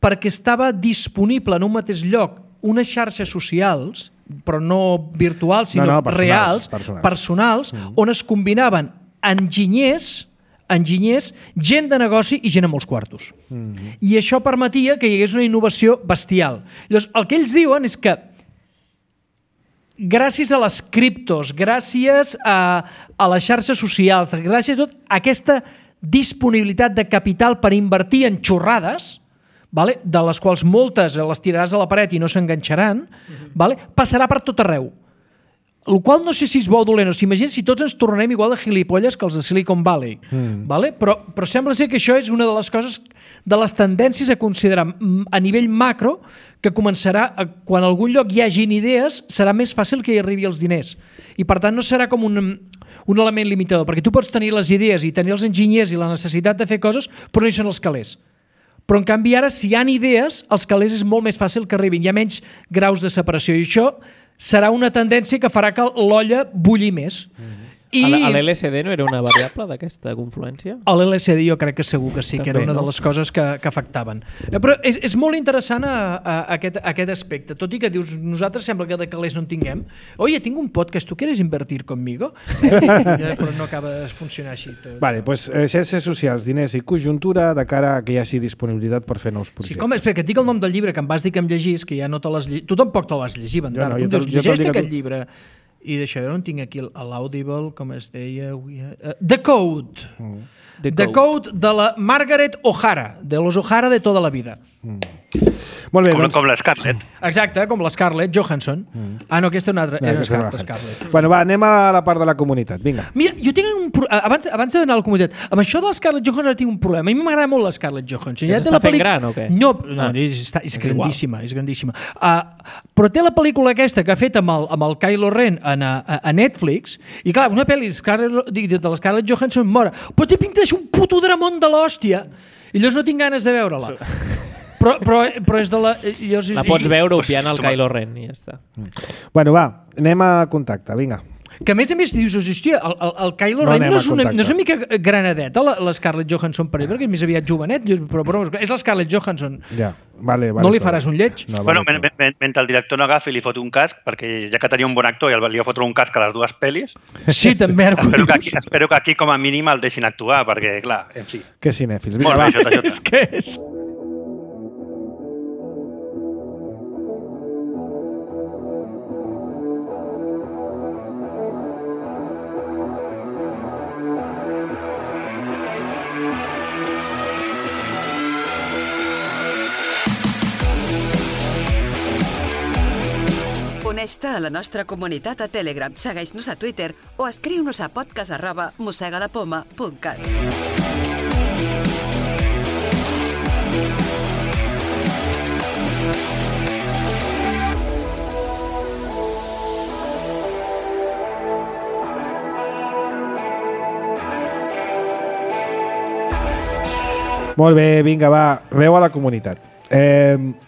perquè estava disponible en un mateix lloc unes xarxes socials, però no virtuals, sinó no, no, personals, reals, personals, personals mm. on es combinaven enginyers, enginyers, gent de negoci i gent amb molts quartos. Mm. I això permetia que hi hagués una innovació bestial. Llavors, el que ells diuen és que gràcies a les criptos, gràcies a, a les xarxes socials, gràcies a tot aquesta disponibilitat de capital per invertir en xorrades, vale? De les quals moltes les tiraràs a la paret i no s'enganxaran, mm-hmm. vale? Passarà per tot arreu. El qual no sé si és bo o dolent, o sigui, imagina si tots ens tornem igual de gilipolles que els de Silicon Valley, mm. vale? però, però sembla ser que això és una de les coses, de les tendències a considerar a nivell macro, que començarà, a, quan a algun lloc hi hagin idees, serà més fàcil que hi arribi els diners. I per tant no serà com un, un element limitador, perquè tu pots tenir les idees i tenir els enginyers i la necessitat de fer coses, però no hi són els calés. Però en canvi ara, si hi ha idees, els calés és molt més fàcil que arribin, hi ha menys graus de separació, i això serà una tendència que farà que l'olla bulli més. Mm-hmm. I a l'L S D no era una variable d'aquesta confluència? A l'L S D jo crec que segur que sí, també, que era una no? de les coses que, que afectaven. Però és, és molt interessant a, a, a aquest, a aquest aspecte, tot i que dius, nosaltres sembla que de calés no en tinguem. Oye, tinc un podcast, ¿tú quieres invertir conmigo? Eh? Però no acaba de funcionar així. Tot. Vale, doncs eh, xarxes socials, diners i conjuntura de cara a que hi hagi disponibilitat per fer nous projectes. Sí, com, espera, que et dic el nom del llibre, que em vas dir que em llegís, que ja no te l'has llegit. Tu tampoc te'l vas llegir, Bandar. Jo no, tu em dius, llegeix aquest tu... llibre. I d'això, jo no en tinc aquí l'Audible, com es deia... Uh, The Code. Mm. The, The Code. Code de la Margaret O'Hara, de los O'Hara de tota la vida. Mm. Molt bé, com, doncs... com la Scarlett. Exacte, com la Scarlett Johansson. Mm. Ah, no, aquesta és una altra. Era Scarlett, Scarlett. Bueno, va, anem a la part de la comunitat, vinga. Mira, jo tinc un... Pro... Abans, abans d'anar a la comunitat, amb això de la Scarlett Johansson tinc un problema. A mi m'agrada molt la Scarlett Johansson. Ja s'està fent gran o què? No, no, ah. és, està, és, és grandíssima, és grandíssima. Uh, però té la pel·lícula aquesta que ha fet amb el, amb el Kylo Ren a, a, a Netflix, i clar, una pel·li de la Scarlett Johansson mora, però té pinta d'això un puto dramón de l'hòstia, i llavors no tinc ganes de veure-la. Però, però, però és de la... Llavors, la pots veure opiant al Kylo Ren i ja està. Bueno, va, anem a contacte, vinga. Que a més a més dius, hòstia, el, el, el Kylo no Ren no és, una, no és una mica granadeta, la, la Scarlett Johansson per ell, perquè és més aviat jovenet, però, però és la Scarlett Johansson. Ja, vale, vale. No li faràs un lleig? No, vale, bueno, men, mentre el director no agafi i li fot un casc, perquè ja que tenia un bon actor i li va fotre un casc a les dues pel·lis... Sí, també. espero, que aquí, espero que aquí com a mínim el deixin actuar, perquè, clar, en fi... Que cinèfils. Molt bé, Jota, Jota. És que és... Uneix-te a la nostra comunitat a Telegram, segueix-nos a Twitter o escriu-nos a podcast arroba mossegalapoma punt cat. Molt bé, vinga, va, veu a la comunitat. Eh...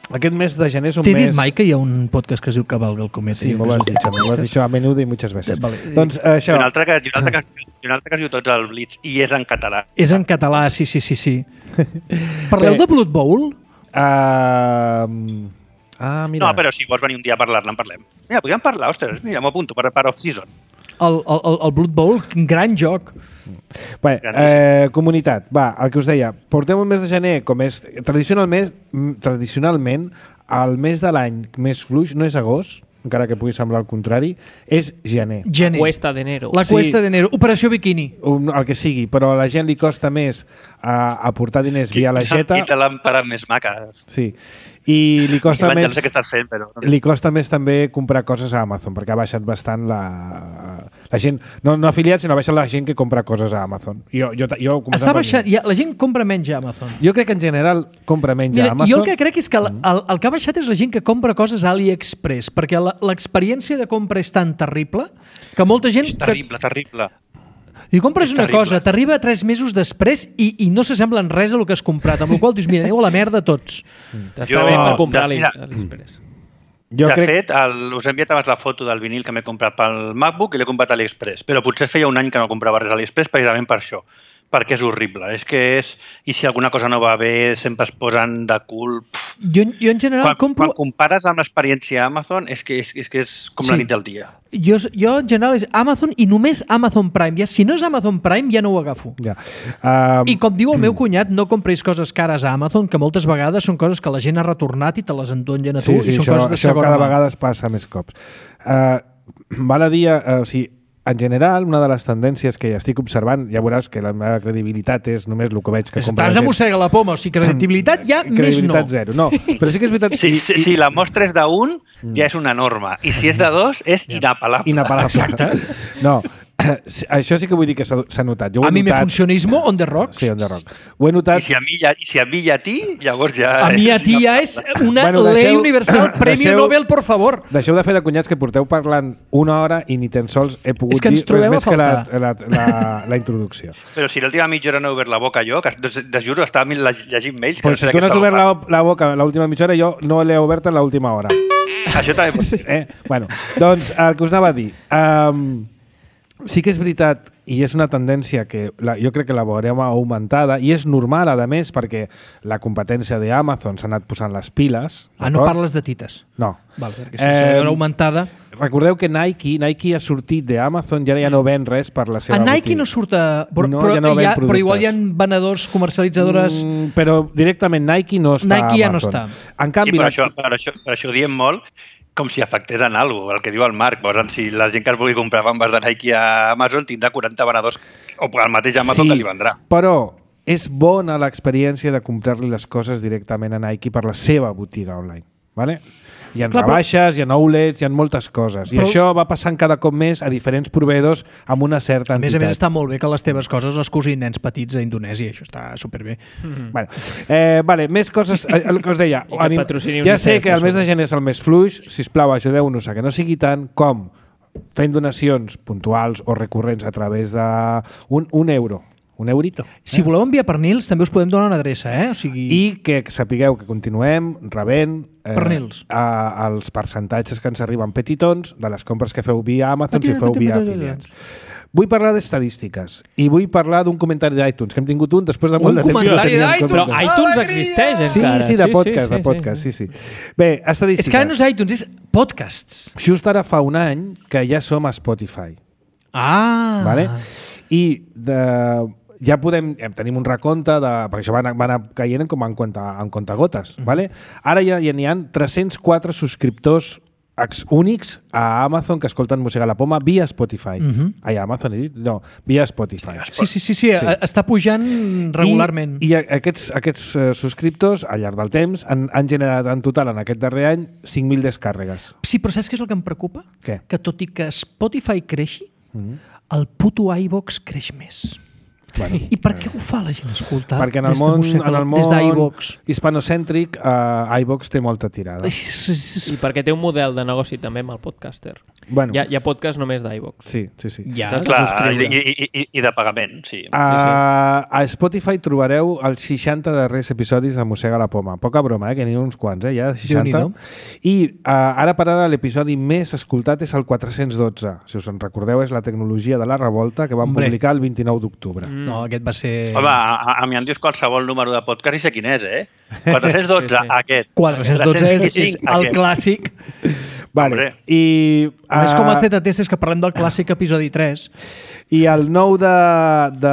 Aquest mes de gener és un mes... T'he dit mai que hi ha un podcast que es diu Cavalga el cometa? Sí, m'ho vas dir, m'ho vas dir això a menudo i muchas veces. Vale. Doncs això... I un altre que, i un altre que, i un altre que es diu Tots al Blitz, i és en català. És en català, sí, sí, sí. sí. Parleu de Blood Bowl? Uh... Ah, mira. No, però si vols venir un dia a parlar-ne, en parlem. Mira, podríem parlar, ostres, mira, m'ho apunto per, per off-season. El, el, el Blood Bowl, gran joc. Bé, eh, comunitat, va, el que us deia, portem un mes de gener, com és tradicionalment, tradicionalment el mes de l'any més fluix no és agost, encara que pugui semblar el contrari, és gener. gener. La cuesta d'enero. La cuesta sí, d'enero, operació biquini. Un, el que sigui, però a la gent li costa més a, a portar diners via la jeta. Quina làmpara més maca. Sí. I li costa més que estàs fent, però... li costa més també comprar coses a Amazon, perquè ha baixat bastant la, la gent, no, no afiliats, sinó ha baixat la gent que compra coses a Amazon. Jo, jo, jo Està baixant, ja, la gent compra menys a Amazon. Jo crec que en general compra menys Mira, a Amazon. Jo el que crec és que el, el, el que ha baixat és la gent que compra coses a AliExpress, perquè l'experiència de compra és tan terrible que molta gent... És terrible, que... terrible. I compres una cosa, t'arriba tres mesos després i, i no s'assembla en res a el que has comprat, amb la qual dius, mira, aneu a la merda tots. Mm. T'està bé per comprar a l'Express. Jo de crec... fet, el, us he enviat abans la foto del vinil que m'he comprat pel MacBook i l'he comprat a AliExpress, però potser feia un any que no comprava res a AliExpress precisament per això, perquè és horrible. És que és... I si alguna cosa no va bé, sempre es posen de cul... Jo, jo en general Quan, compro... quan compares amb l'experiència Amazon, és que és, és, que és com Sí. la nit del dia. Jo, jo en general és Amazon i només Amazon Prime. Ja, si no és Amazon Prime, ja no ho agafo. Ja. Um, I com diu el meu cunyat, no compris coses cares a Amazon, que moltes vegades són coses que la gent ha retornat i te les endonyen a tu, sí, sí, i són això, coses de això segona cada mà. vegada es passa més cops. Uh, val a dir, uh, o sigui, en general, una de les tendències que estic observant, ja veuràs que la meva credibilitat és només el que veig que compra Estàs la a gent. mossega la poma, o sigui, credibilitat ja més no. Credibilitat zero. No, però sí que és veritat... Si, i- si, i- si la mostra és d'un, ja és una norma. I si és de dos, és inapel·lable. Inapel·lable. Exacte. No, això sí que vull dir que s'ha s'ha notat. Jo ho he A mi me notat... funcionismo on the rocks. Sí, on the rock. Ho he notat... I si a mi, ja, i si a mi i a ti, llavors ja... A mi a és ti ja és una Bueno, ley deixeu- universal, premio deixeu- Nobel, por favor. Deixeu de fer de cunyats que porteu parlant una hora i ni tan sols he pogut És que ens dir res trobeu a més que la, faltar. la, la, la introducció. Però si l'última mitja hora no he obert la boca jo, que de, de juro estava llegint mails... Que Pues sé si de tu què no has estava obert la, parlant. la boca l'última mitja hora, jo no l'he obert en l'última hora. Això també pot ser. Eh? Bueno, doncs el que us anava a dir... Um, sí que és veritat, i és una tendència que la, jo crec que la veurem augmentada, i és normal, a més, perquè la competència d'Amazon s'ha anat posant les piles. Ah, no d'acord? parles de tites. No. Val, perquè si eh, Eh, augmentada... Recordeu que Nike, Nike ha sortit d'Amazon i ara ja no ven res per la seva A Nike botiga. no surt a... Però, No, però, ja no ven hi ha, però igual hi ha productes. venedors, comercialitzadores... Mm, però directament Nike no està Nike ja a no Amazon. està. En Sí, canvi, per, la- això, per, això, per això ho diem molt com si afectés en alguna cosa, el que diu el Marc. Llavors, si la gent que es vulgui comprar bambes de Nike a Amazon tindrà quaranta venedors o el mateix Amazon sí, que li vendrà. però és bona l'experiència de comprar-li les coses directament a Nike per la seva botiga online. Vale? Hi ha Clar, però- rebaixes, hi ha outlets, hi ha moltes coses. I Però- això va passant cada cop més a diferents proveïdors amb una certa A més a entitat. més, està molt bé que les teves coses les cosin nens petits a Indonèsia. Això està superbé. Bueno, eh, vale, més coses, eh, el que us deia. I que anim- patrocini ja UNICEF, sé que el mes de això. gener és el més fluix, sisplau, ajudeu-nos a que no sigui tant com fent donacions puntuals o recurrents a través de un, un euro, un eurito. Si voleu enviar pernils, també us podem donar una adreça, eh? O sigui... I que sapigueu que continuem rebent eh, Pernils. a, els percentatges que ens arriben petitons de les compres que feu via Amazon si feu via afiliats. Vull parlar d'estadístiques i vull parlar d'un comentari d'iTunes, que hem tingut un després de molt Un de temps. que no comentari teníem d'iTunes? Però comptes. iTunes Alegria! existeix Sí, encara. sí, de podcast, de podcast, sí, sí. Bé, estadístiques. És que ara no és iTunes, és podcasts. Just ara fa un any que ja som a Spotify. Ah! Vale? I de, ja podem, eh, tenim un recompte, de, perquè això va anar, va anar caient com en, compte, en comptagotes. Mhm. Vale? Ara ja, ja n'hi ha tres cents quatre subscriptors ex únics a Amazon que escolten Mossega la Poma via Spotify. Mhm. Ai, a Amazon he dit? No, via Spotify. Sí, sí, sí, sí, sí. Està pujant regularment. I, i aquests, aquests uh, subscriptors, al llarg del temps, han, han generat en total en aquest darrer any cinc mil descàrregues. Sí, però saps què és el que em preocupa? Què? Que tot i que Spotify creixi, Mm. el puto iVox creix més. Bueno, I per què ho fa la gent escoltar? perquè en el des de món, Mossega- en el des món d'iVox? hispanocèntric, uh, iVox té molta tirada. I perquè té un model de negoci també amb el podcaster. Bueno, Hi ha, hi ha podcast només d'iVox. sí, sí, sí. Ja. T'has de Clar, subscriure. i, i, i, i de pagament, sí. A, a Spotify trobareu els seixanta darrers episodis de Mossega la Poma. Poca broma, eh? Que n'hi ha uns quants, eh? Ja, seixanta. Déu-n'hi-do. I uh, ara per ara l'episodi més escoltat és el quatre-cents dotze. Si us en recordeu, és la tecnologia de la revolta que vam Hombre. publicar el vint-i-nou d'octubre. Mm. No, aquest va ser... Home, a, a, a mi em dius qualsevol número de podcast i sé quin és, eh? quatre-cents dotze, Sí, sí. aquest. quatre-cents dotze és, és tres-cents vint-i-cinc, el aquest. clàssic. Vale. Hombre. I, A més, com a uh, Z T S és que parlem del clàssic episodi tres. I el nou de, de,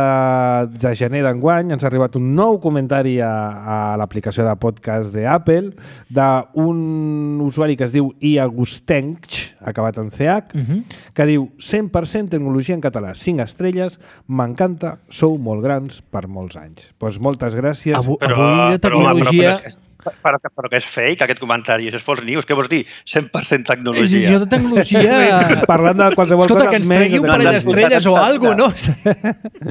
de gener d'enguany ens ha arribat un nou comentari a, a l'aplicació de podcast d'Apple d'un usuari que es diu Iagustench, acabat en C H, Uh -huh. que diu cent per cent tecnologia en català, cinc estrelles, m'encanta, sou molt grans per molts anys. Doncs moltes gràcies. Avui, Però, avui de però, tecnologia... Però, però, però, però, però que és fake, aquest comentari. Això és false news. Què vols dir? cent per cent és tecnologia. això de tecnologia... Parlant de qualsevol Escolta, cosa... que ens menys tregui un de parell tecnologia. d'estrelles o alguna no?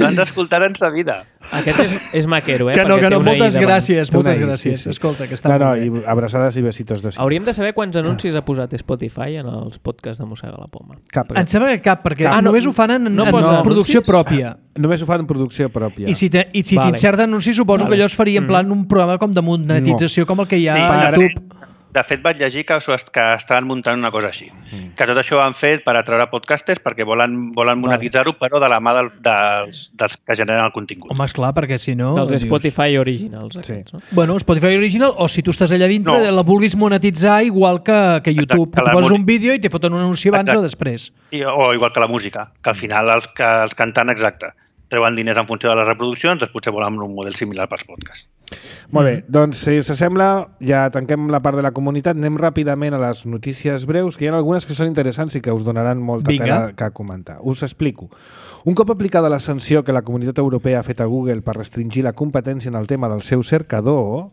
No han d'escoltar en sa vida. Aquest és, és maquero, eh? Que no, perquè que té no, una I moltes davant. gràcies, Té una moltes I, gràcies. sí, sí. Escolta, que està No, no, molt i bé. abraçades i besitos de Hauríem de saber quants anuncis ha posat Spotify en els podcasts de Mossega la Poma. Cap. Em sembla que cap, perquè Ah, no, només ho fan en, no en posa producció anuncis? pròpia. Només ho fan en producció pròpia. I si te- i si Vale. t'inserten anuncis, suposo Vale. que allò es faria en plan un programa com de monetització, com el que hi ha Sí, a per- YouTube. de fet vaig llegir que, que estaven muntant una cosa així. Mm. Que tot això ho han fet per atraure podcasters perquè volen, volen monetitzar-ho, però de la mà del, dels, dels que generen el contingut. Home, esclar, perquè si no... Dels dius... Spotify Originals. Aquests, Sí. no? Bueno, Spotify Original, o si tu estàs allà dintre, No. la vulguis monetitzar igual que, que YouTube. Exacte, Que tu la poses música. un vídeo i te foten un anunci abans Exacte. o després. I, o igual que la música, que al final els, que els cantants, exacte, treuen diners en funció de les reproduccions, doncs potser volen un model similar pels podcasts. Molt bé, doncs si us sembla, ja tanquem la part de la comunitat, anem ràpidament a les notícies breus, que hi ha algunes que són interessants i que us donaran molta Vinga. tela que comentar. Us explico. Un cop aplicada la sanció que la Comunitat Europea ha fet a Google per restringir la competència en el tema del seu cercador,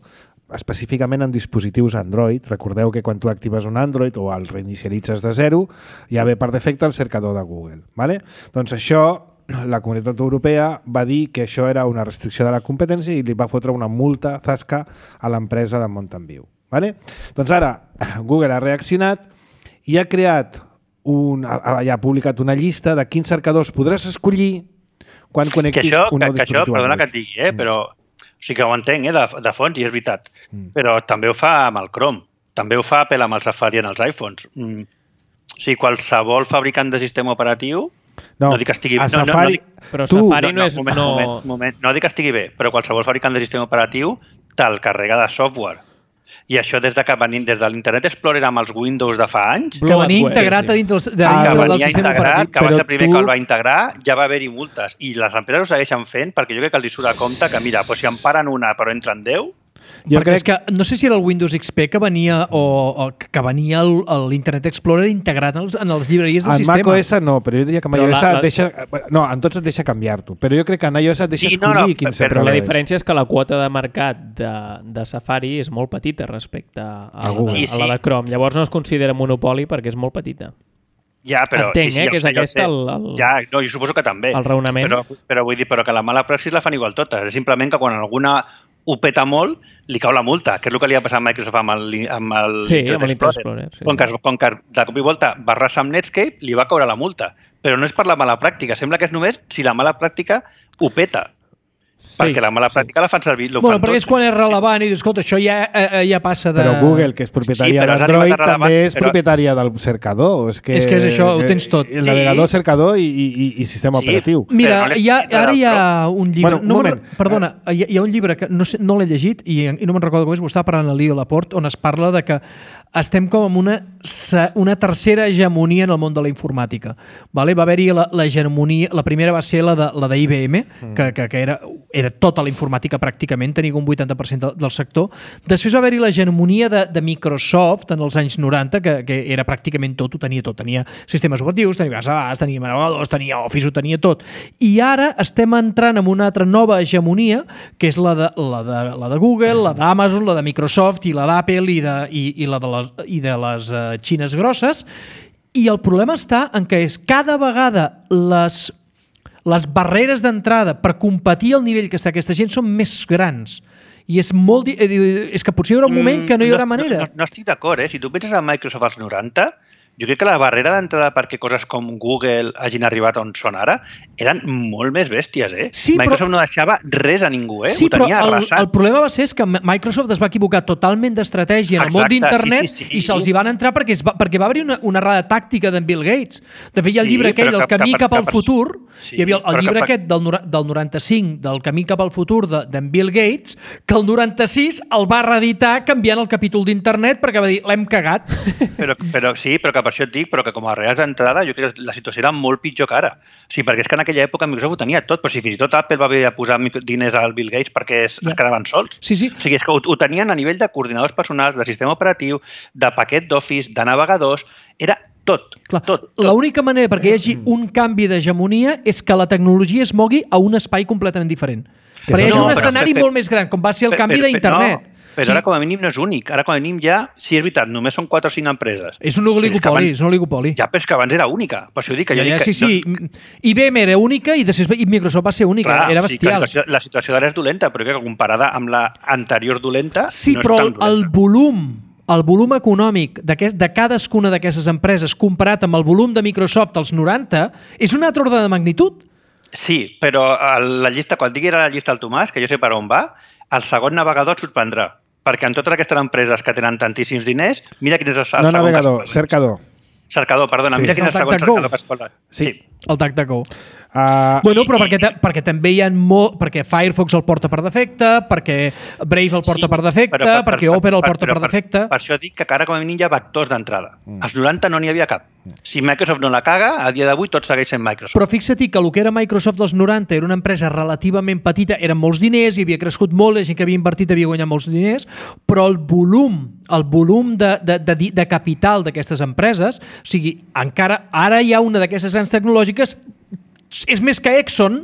específicament en dispositius Android, recordeu que quan tu actives un Android o el reinicialitzes de zero, ja ve per defecte el cercador de Google. Vale? Doncs això la Comunitat Europea va dir que això era una restricció de la competència i li va fotre una multa zasca a l'empresa de Mountain View. Vale? Doncs ara Google ha reaccionat i ha creat un, ha, ha publicat una llista de quins cercadors podràs escollir quan Que connectis això, un que, nou que això dispositiu perdona Android. que et digui, eh, però o sigui que ho entenc, eh, de, de fons, i és veritat. Mm. Però també ho fa amb el Chrome, també ho fa Apple amb el Safari en els iPhones. Mm. O sigui, qualsevol fabricant de sistema operatiu, no, no dic que estigui a no, no, Safari, no, dic, Però tu, Safari no, no és... moment, no... moment, moment, no dic que estigui bé, però qualsevol fabricant de sistema operatiu te'l carrega de software. I això des de que venim des de l'Internet Explorer amb els Windows de fa anys, Que venia Bloodware, integrat sí. a dintre, de, Ah, dintre que del venia sistema integrat, operatiu. que va Però ser el primer tu- que el va integrar, ja va haver-hi multes. I les empreses ho segueixen fent perquè jo crec que els hi surt a compte que, mira, doncs si en paren una però entren deu, jo Perquè crec és que no sé si era el Windows X P que venia o, o que venia el- el- l'Internet Explorer integrat en, els, en les llibreries del en sistema. macOS no, però jo diria que en Però iOS la- la- et deixa... No, en tots et deixa canviar-t'ho, però jo crec que en iOS et deixa Sí, no, escollir no, quin però cercador Però la és. diferència és que la quota de mercat de, de Safari és molt petita respecte a, A a, Google. a, Sí, la sí. de Chrome. Llavors no es considera monopoli perquè és molt petita. ja, però... Entenc, sí, sí, eh, ja que ho és sé, ja ho aquest sé. el- el- Ja, no, jo suposo que també. el raonament. Però, però vull dir, però que la mala praxis la fan igual totes. És simplement que quan alguna ho peta molt, li cau la multa, que és el que li ha passat a Microsoft amb el, amb el Sí, Internet amb l'Internet Explorer, sí, com, sí. que, com que de cop i volta va arrasar amb Netscape, li va caure la multa. Però no és per la mala pràctica, sembla que és només si la mala pràctica ho peta. Sí, perquè la mala pràctica la fan servir. Bueno, perquè és quan és relevant i dius, escolta, això ja, eh, ja passa de... Però Google, que és propietària Sí, però has d'Android, arribat a relevant, també és però- propietària del cercador. És que, És que és això, ho tens tot. El navegador, cercador i, i, i sistema Sí. operatiu. Mira, Però no l'he hi ha, escrit ara hi ha del un llibre... Bueno, un no me'n- moment. Perdona, hi ha, hi ha un llibre que no, sé, no l'he llegit i, i no me'n recordo com és, ho estava parlant a Leo Laporte, on es parla de que estem com en una, se- una tercera hegemonia en el món de la informàtica. Vale? Va haver-hi la, la hegemonia... La primera va ser la de, la de I B M, mm. que, que, que era, era tota la informàtica pràcticament, tenia un vuitanta per cent del, del sector. Després va haver-hi la hegemonia de, de Microsoft en els anys noranta, que, que era pràcticament tot, ho tenia tot. Tenia sistemes operatius, tenia bases de dades, tenia navegadors, tenia Office, ho tenia tot. I ara estem entrant en una altra nova hegemonia, que és la de, la de, la de Google, la d'Amazon, la de Microsoft i la d'Apple i, de, i, i la de les, i de les uh, xines grosses. I el problema està en què és cada vegada les les barreres d'entrada per competir al nivell que està aquesta gent són més grans. I és molt... di- eh, És que potser hi haurà un moment que no hi haurà manera. No, no, no estic d'acord, eh? Si tu penses en Microsoft als noranta, jo crec que la barrera d'entrada perquè coses com Google hagin arribat on són ara eren molt més bèsties, eh? Sí, però- Microsoft no deixava res a ningú, eh? Sí, Ho però tenia el, arrasat. el problema va ser és que Microsoft es va equivocar totalment d'estratègia en el món Exacte, d'internet sí, sí, sí. i se'ls hi van entrar perquè, es va, perquè va haver-hi una, una errada tàctica d'en Bill Gates. De fet, hi ha el Sí, llibre aquell, però El que- camí que- cap al que- futur, sí, hi havia el, el però que- llibre aquest del, nora- del noranta-cinc, del camí cap al futur de- d'en Bill Gates, que el noranta-sis el va reeditar canviant el capítol d'internet perquè va dir, l'hem cagat. Però, però sí, però que per això et dic, però que com a barreres d'entrada jo crec que la situació era molt pitjor que ara. Sí, perquè és que en aquella època Microsoft ho tenia tot, però si fins i tot Apple va haver de posar micro- diners al Bill Gates perquè es, Ja. es quedaven sols. Sí, sí. O sigui, és que ho, ho tenien a nivell de coordinadors personals, de sistema operatiu, de paquet d'Office, de navegadors, era tot, Clar, tot, tot. l'única manera perquè hi hagi un canvi d'hegemonia és que la tecnologia es mogui a un espai completament diferent. Que Perquè hi és- hagi no, un però- escenari però- molt més gran, com va ser el Per- canvi per- per- d'internet. No, però Sí. ara com a mínim no és únic. Ara com a mínim ja, sí, és veritat, només són quatre o cinc empreses. És un Però és que oligopoli, abans- és un oligopoli. Ja, però és que abans era única. Per això dic que Ja, jo ja, dic que... sí, sí. I B M era única i després i Microsoft va ser única. Clar, era sí, que la bestial. situació, la situació d'ara és dolenta, però que comparada amb la anterior dolenta Sí, no és però tan el, dolenta. el volum el volum econòmic d'aquest- de cadascuna d'aquestes empreses comparat amb el volum de Microsoft als noranta és un altre ordre de magnitud. Sí, però el- la llista, quan digui ara la llista al Tomàs, que jo sé per on va, el segon navegador et sorprendrà. perquè en totes aquestes empreses que tenen tantíssims diners, mira quin és el, el no segon navegador, cercador. Cercador, perdona, Sí. mira quin és el segon cercador que es pot... Sí. sí. El DuckDuckGo. Uh, Bueno, però perquè, perquè també hi ha molt... Perquè Firefox el porta per defecte, perquè Brave el porta Sí, per defecte, però per- perquè per- Opera el per- porta però per defecte... Per, per això dic que ara com a mínim hi ha vectors d'entrada. Als noranta no n'hi havia cap. Si Microsoft no la caga, a dia d'avui tot segueix sent Microsoft. Però fixa't que el que era Microsoft dels noranta era una empresa relativament petita, eren molts diners, hi havia crescut molt, la gent que havia invertit havia guanyat molts diners, però el volum, el volum de, de, de, de capital d'aquestes empreses, o sigui, encara ara hi ha una d'aquestes grans tecnològiques, és més que Exxon,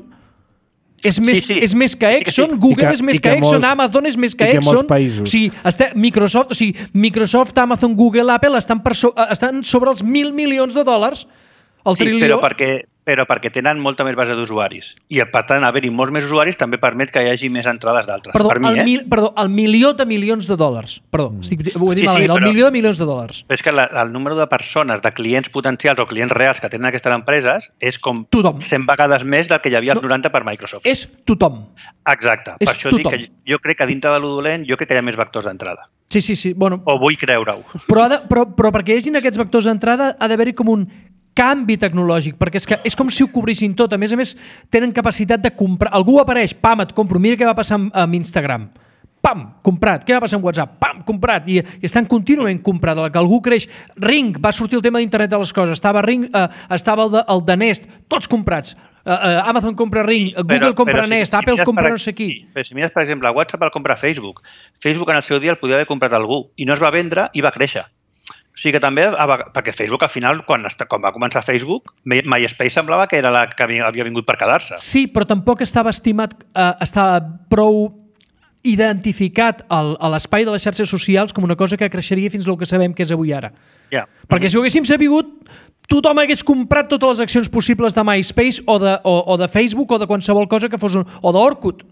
és més, Sí, sí. és més que Sí que sí. Exxon, Google I que- és més i que que Exxon, molts- Amazon és més que i que Exxon. molts països. O sigui, este, Microsoft, o sigui, Microsoft, Amazon, Google, Apple estan, per so, estan sobre els mil milions de dòlars, el sí, trilió. però perquè, però perquè tenen molta més base d'usuaris. I per tant, haver-hi molts més usuaris també permet que hi hagi més entrades d'altres. Perdó, per mi, el, eh? mil, perdó, el milió de milions de dòlars. Perdó, estic, ho he dit Sí, sí, malament. El però- milió de milions de dòlars. Però és que la, el número de persones, de clients potencials o clients reals que tenen aquestes empreses és com Tothom. cent vegades més del que hi havia als No. noranta per Microsoft. És tothom. Exacte. és Per això tothom. dic que jo crec que dintre de lo dolent, jo crec que hi ha més vectors d'entrada. Sí, sí, sí. Bueno, O vull creure-ho. però, ha de, però, però perquè hi hagin aquests vectors d'entrada ha d'haver-hi com un canvi tecnològic, perquè és que és com si ho cobrissin tot. A més a més, tenen capacitat de comprar. Algú apareix, pam, et compro. Mira què va passar amb, amb Instagram. Pam, comprat. Què va passar amb WhatsApp? Pam, comprat. I, i estan contínuament comprat. De la que algú creix. Ring, va sortir el tema d'internet de les coses. Estava Ring, eh, estava el de, el de Nest. Tots comprats. Eh, eh, Amazon compra Ring, Google Però- compra però si- Nest, si Apple mires compra per- no sé qui. sí, Però si mires, per exemple, WhatsApp el compra Facebook. Facebook en el seu dia el podia haver comprat algú i no es va vendre i va créixer. O sigui que també, perquè Facebook al final, quan, quan va començar Facebook, MySpace semblava que era la que havia vingut per quedar-se. Sí, però tampoc estava estimat, eh, estava prou identificat el, a l'espai de les xarxes socials com una cosa que creixeria fins al que sabem que és avui ara. Ja. Perquè si ho haguéssim sabut, tothom hagués comprat totes les accions possibles de MySpace o de, o, o de Facebook o de qualsevol cosa que fos un, o d'Orkut.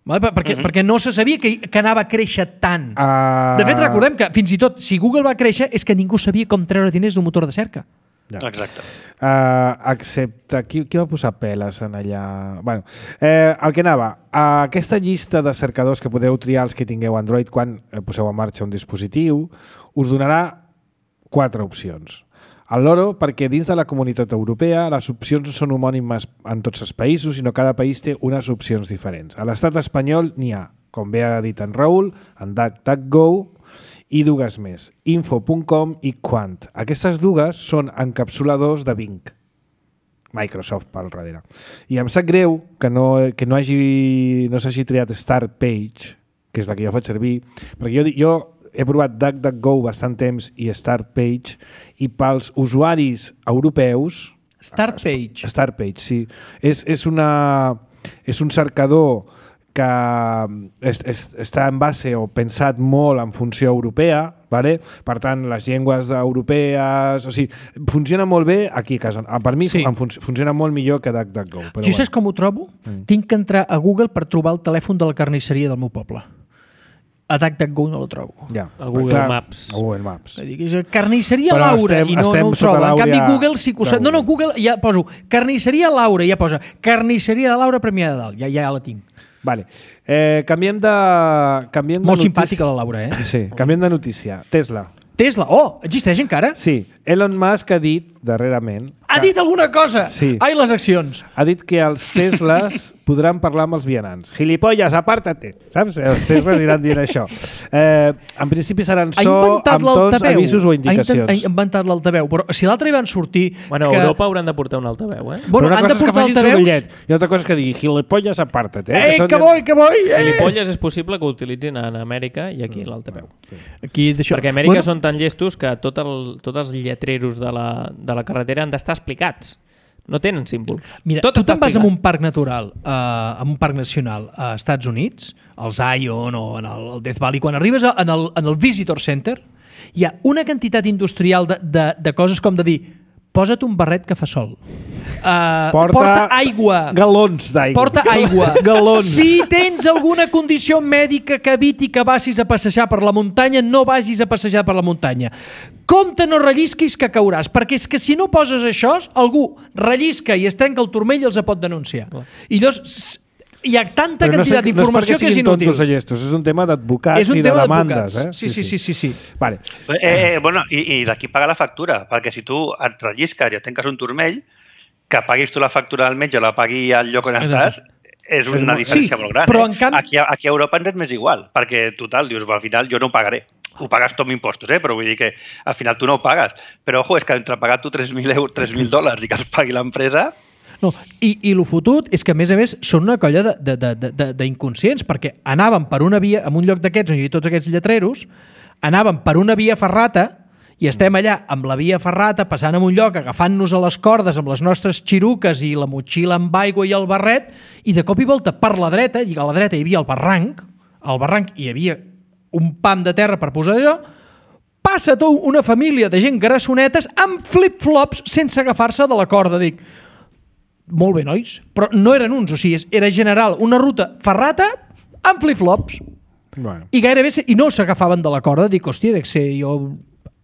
Vale? Perquè, uh -huh. perquè no se sabia que, que anava a créixer tant. Uh... De fet, recordem que fins i tot si Google va créixer és que ningú sabia com treure diners d'un motor de cerca. Ja. Exacte. Uh, excepte... Qui, qui va posar peles en allà? Bueno, eh, el que anava, uh, aquesta llista de cercadors que podeu triar els que tingueu Android quan eh, poseu en marxa un dispositiu, us donarà quatre opcions. El loro, perquè dins de la comunitat europea les opcions no són homònimes en tots els països, sinó cada país té unes opcions diferents. A l'estat espanyol n'hi ha, com bé ha dit en Raül, en DuckDuckGo i dues més, info punt com i Quant. Aquestes dues són encapsuladors de Bing. Microsoft pel darrere. I em sap greu que no, que no hagi no s'hagi triat Start Page, que és la que jo faig servir, perquè jo, jo he provat DuckDuckGo bastant temps i Start Page, i pels usuaris europeus... Start Page. Start Page, sí. És, és, una, és un cercador que és, és, està en base o pensat molt en funció europea, vale? Per tant, les llengües europees... O sigui, funciona molt bé aquí a casa. Per mi Sí. fun funciona molt millor que DuckDuckGo. Però Jo saps com ho trobo? Mm. Tinc que entrar a Google per trobar el telèfon de la carnisseria del meu poble. A DuckDuckGo no el trobo. Ja. A Google Clar, Maps. A Google Maps. És a dir, que és carnisseria Però Laura estem- i no, estem no ho sota trobo. En canvi, l'àurea Google sí que ho de sap. No, no, Google. Google ja poso carnisseria Laura i ja posa carnisseria de Laura Premià de Dalt. Ja, ja la tinc. Vale. Eh, canviem de... Canviem Molt de simpàtica la Laura, eh? Sí, canviem de notícia. Tesla. Tesla. Oh, existeix encara? Sí, Elon Musk ha dit darrerament... Ha que- dit alguna cosa? Sí. Ai, les accions. Ha dit que els Teslas podran parlar amb els vianants. Gilipolles, apártate! Saps? Els Teslas aniran dient això. Eh, en principi seran Ha so inventat amb tons, l'altaveu. avisos o Ha indicacions. intent- ha inventat l'altaveu. Però si l'altre hi van sortir... Bueno, a que... Europa hauran de portar un altaveu, eh? Bueno, Però una han cosa de és que portar facin altaveus... sorollet i altra cosa és que digui gilipolles, apártate. Eh, són- que vull, que vull! Eh! Gilipolles és possible que ho utilitzin en Amèrica i aquí l'altaveu. Aquí, d'això. Perquè a Amèrica Bueno, són tan llestos que tot el, tots els lletreros de la, de la carretera han d'estar explicats. No tenen símbols. Mira, tot tu està te'n vas en explicat. un parc natural, uh, en un parc nacional a Estats Units, al Zion o en el, el Death Valley, quan arribes a, en, el, en el Visitor Center, hi ha una quantitat industrial de, de, de coses com de dir posa't un barret que fa sol. Uh, Porta, porta aigua. Galons d'aigua. Porta aigua. Galons. Si tens alguna condició mèdica que eviti que vagis a passejar per la muntanya, no vagis a passejar per la muntanya. Compte, no rellisquis que cauràs, perquè és que si no poses això, algú rellisca i es trenca el turmell i els pot denunciar. I llavors, hi ha tanta però quantitat no d'informació no que és inútil. Tontos o llestos, és un tema d'advocats i de demandes. Eh? Sí, sí, sí. sí, sí. Vale. Eh, bueno, i, i d'aquí paga la factura, perquè si tu et rellisques i et tanques un turmell, que paguis tu la factura al metge o la pagui al lloc on estàs, és una diferència sí, molt gran. Però eh? en canvi... aquí, aquí a Europa ens és més igual, perquè total, dius, al final jo no ho pagaré. Ho pagues tot amb impostos, eh? Però vull dir que al final tu no ho pagues. Però, ojo, és que entre pagar tu tres mil euros, tres mil dòlars i que els pagui l'empresa... No, i, i el fotut és que, a més a més, són una colla d'inconscients, perquè anàvem per una via, en un lloc d'aquests on hi havia tots aquests lletreros, anàvem per una via ferrata i estem allà amb la via ferrata passant en un lloc, agafant-nos a les cordes amb les nostres xiruques i la motxilla amb aigua i el barret, i de cop i volta per la dreta, i a la dreta hi havia el barranc, al barranc hi havia un pam de terra per posar allò, passa tot una família de gent grassonetes amb flip-flops sense agafar-se de la corda. Dic, molt bé, nois, però no eren uns, o sigui, era general, una ruta ferrata amb flip-flops. Bueno. I gairebé, i no s'agafaven de la corda. Dic, hòstia, dec ser jo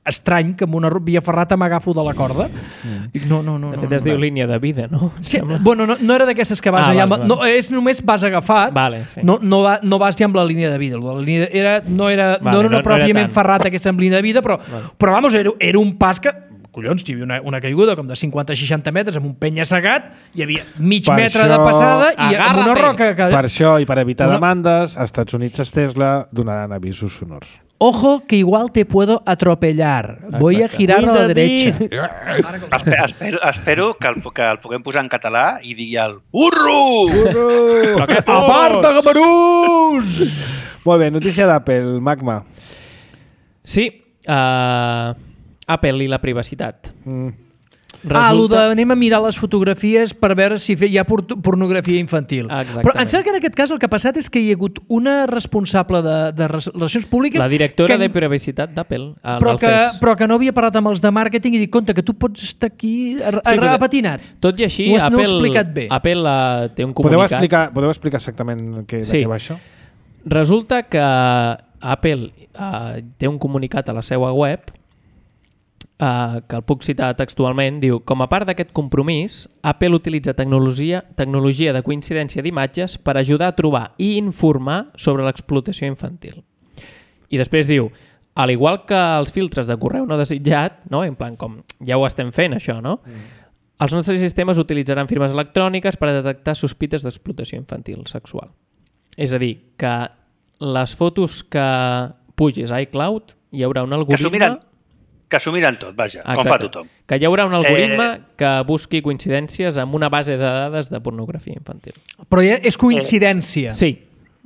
estrany que amb una via ferrata m'agafo de la corda. Mm. Dic, no, no, no. De fet, no, es no, diu no. línia de vida, no? Sí, bueno, no, no era d'aquestes que vas ah, allà... Vale, vale. No, és només vas agafat, vale, sí. no, no, va, no vas ja amb la línia de vida. La línia de, era, no, era, vale, no era una no, pròpiament no era ferrata aquesta amb línia de vida, però, vale. però vamos, era, era un pas que... Collons, hi havia una, una caiguda com de cinquanta a seixanta metres amb un penya-segat, hi havia mig per metre això, de passada i amb una roca... Que... Per això, i per evitar una... demandes, als Estats Units els Tesla donaran avisos sonors. Ojo, que igual te puedo atropellar. Exacte. Voy a girar a la derecha. espero, espero, espero que, el, que el puguem posar en català i digui el burro! Burro! Aparta, gamarús! Molt bé, notícia d'Apple, Magma. Sí, uh, Apple i la privacitat. Mm. Resulta... Ah, allò de anem a mirar les fotografies per veure si hi ha pornografia infantil. Exactament. Però em sembla que en aquest cas el que ha passat és que hi ha hagut una responsable de, de relacions públiques... La directora que... de privacitat d'Apple. Però, que, però que no havia parlat amb els de màrqueting i dit, compte, que tu pots estar aquí apatinat. Sí, tot i així, Apple, no explicat bé. Apple uh, té un comunicat... Podeu explicar, podeu explicar exactament què, sí. de què va això? Resulta que Apple uh, té un comunicat a la seva web Uh, que el puc citar textualment, diu: com a part d'aquest compromís, Apple utilitza tecnologia, tecnologia de coincidència d'imatges per ajudar a trobar i informar sobre l'explotació infantil. I després diu, al igual que els filtres de correu no desitjat, no? En plan com ja ho estem fent això, no? Mm. Els nostres sistemes utilitzaran firmes electròniques per detectar sospites d'explotació infantil sexual. És a dir, que les fotos que pugis a iCloud hi haurà un algoritme... Que s'ho miren tot, vaja, exacte, com fa tothom. Que hi haurà un algoritme eh... que busqui coincidències amb una base de dades de pornografia infantil. Però ja és coincidència. Eh... Sí,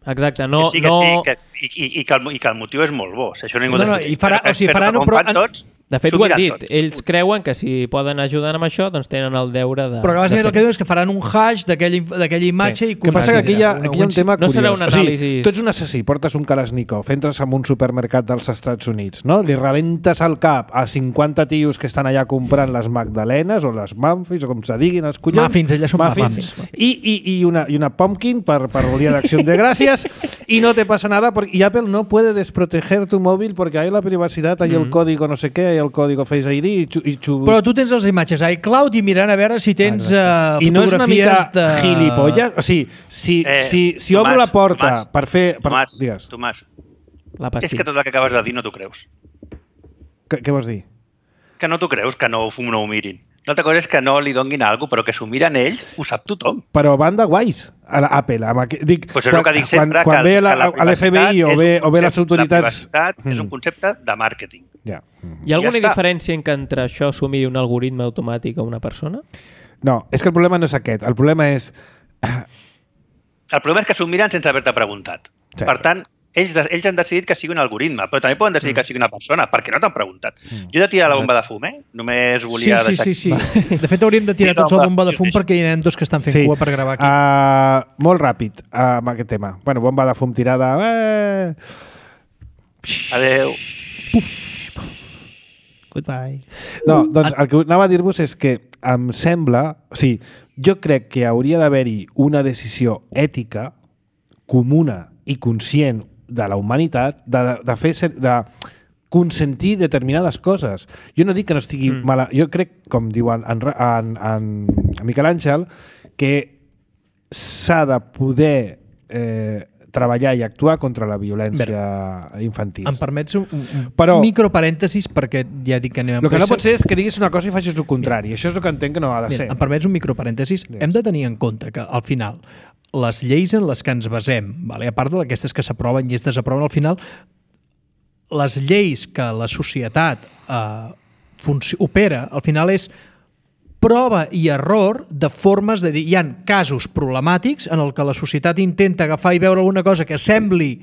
exacte. No, que sí, que no... sí, que, i, i, i, que el, i que el motiu és molt bo. Si això ningú no, no, i farà, o sigui, faran un... Però com fan tots... De fet, ho han dit. Tot. Ells creuen que si poden ajudar amb això, doncs tenen el deure de... Però que bàsicament el que diuen és que faran un hash d'aquella imatge sí. i... Que passa que aquí hi ha, aquí hi ha un tema no curiós. Serà un anàlisi... O sigui, tu ets un assassí, portes un Kalashnikov, entres en un supermercat dels Estats Units, no? Li rebentes al cap a cinquanta tios que estan allà comprant les magdalenes o les muffins, o com se diguin els collons. Muffins, elles són muffins. muffins. I, i, i, una, I una pumpkin per, per el día de acción de gracias y no te pasa nada. Porque, y Apple no puede desproteger tu móvil porque hay la privacidad, hay mm. el código no sé qué, hay el código Face I D. I xu, i xu... Però tu tens les imatges a iCloud i mirant a veure si tens uh, fotografies de... I no és una mica de... gilipolles? O sigui, si, eh, si, si Tomàs, obro la porta Tomàs, per fer... Per... Tomàs, Digues. Tomàs, la és que tot el que acabes de dir no t'ho creus. Que, què vols dir? Que no t'ho creus, que no, no ho mirin. L'altra cosa és que no li donguin alguna cosa, però que s'ho miren ells, ho sap tothom. Però van de guais a l'Apple. Dic, pues és quan, el que dic sempre, quan, quan que, ve la, que l'F B I o ve, o ve les autoritats... La privacitat mm. és un concepte de màrqueting. Ja. Mm. Hi ha alguna ja diferència en que entre això s'ho miri un algoritme automàtic a una persona? No, és que el problema no és aquest. El problema és... El problema és que s'ho miren sense haver-te preguntat. Sí. Per tant, ells, ells han decidit que sigui un algoritme, però també poden decidir mm. que sigui una persona, perquè no t'han preguntat. Mm. Jo he de tirar la bomba de fum, eh? Només volia sí, sí, deixar... Sí, sí, sí. De fet, hauríem de tirar tots la bomba de fum perquè hi ha dos que estan fent sí. cua per gravar aquí. Uh, molt ràpid, uh, amb aquest tema. Bueno, bomba de fum tirada... Eh... Adéu. Puf. Goodbye. No, doncs el que anava a dir-vos és que em sembla... O sigui, jo crec que hauria d'haver-hi una decisió ètica comuna i conscient de la humanitat de, de fer de consentir determinades coses. Jo no dic que no estigui mm. mala... Jo crec, com diu en, en, en, en Miquel Àngel, que s'ha de poder eh, treballar i actuar contra la violència Bé, infantil. Em permets un, un Però, microparèntesis, perquè ja dic que anem a... El que no pot ser és que diguis una cosa i facis el contrari. Mira, això és el que entenc que no ha de mira, ser. Em permets un microparèntesis. Mira. Hem de tenir en compte que, al final, les lleis en les que ens basem, vale? A part d'aquestes que s'aproven i es desaproven, al final, les lleis que la societat eh, opera, al final és prova i error de formes de dir... Hi ha casos problemàtics en el que la societat intenta agafar i veure alguna cosa que sembli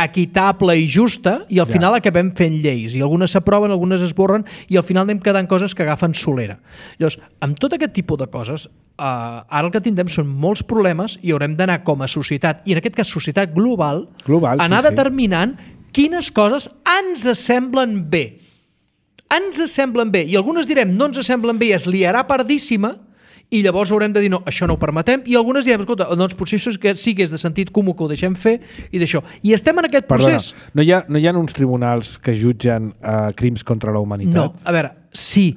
equitable i justa i al final ja. acabem fent lleis i algunes s'aproven, algunes es borren i al final anem quedant coses que agafen solera. Llavors, amb tot aquest tipus de coses, eh, ara el que tindrem són molts problemes i haurem d'anar com a societat, i en aquest cas societat global, global anar sí, determinant sí. quines coses ens semblen bé. Ens semblen bé, i algunes direm no ens semblen bé i es liarà pardíssima i llavors haurem de dir no, això no ho permetem, i algunes direm, escolta, doncs potser això que sí que és de sentit comú que ho deixem fer i d'això. I estem en aquest Perdona, procés. No hi ha, no hi ha uns tribunals que jutgen uh, crims contra la humanitat? No, a veure, sí,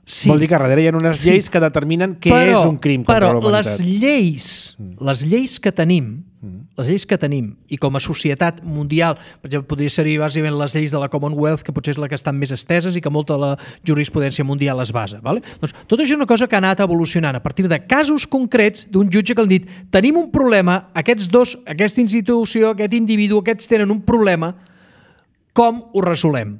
sí. Vol dir que darrere hi ha unes lleis sí. que determinen què però, és un crim contra però la humanitat. Però les lleis, les lleis que tenim, les lleis que tenim, i com a societat mundial, per exemple, podria ser bàsicament les lleis de la Commonwealth, que potser és la que estan més esteses i que molta de la jurisprudència mundial es basa. Vale? Doncs tot això és una cosa que ha anat evolucionant a partir de casos concrets d'un jutge que han dit tenim un problema, aquests dos, aquesta institució, aquest individu, aquests tenen un problema, com ho resolem?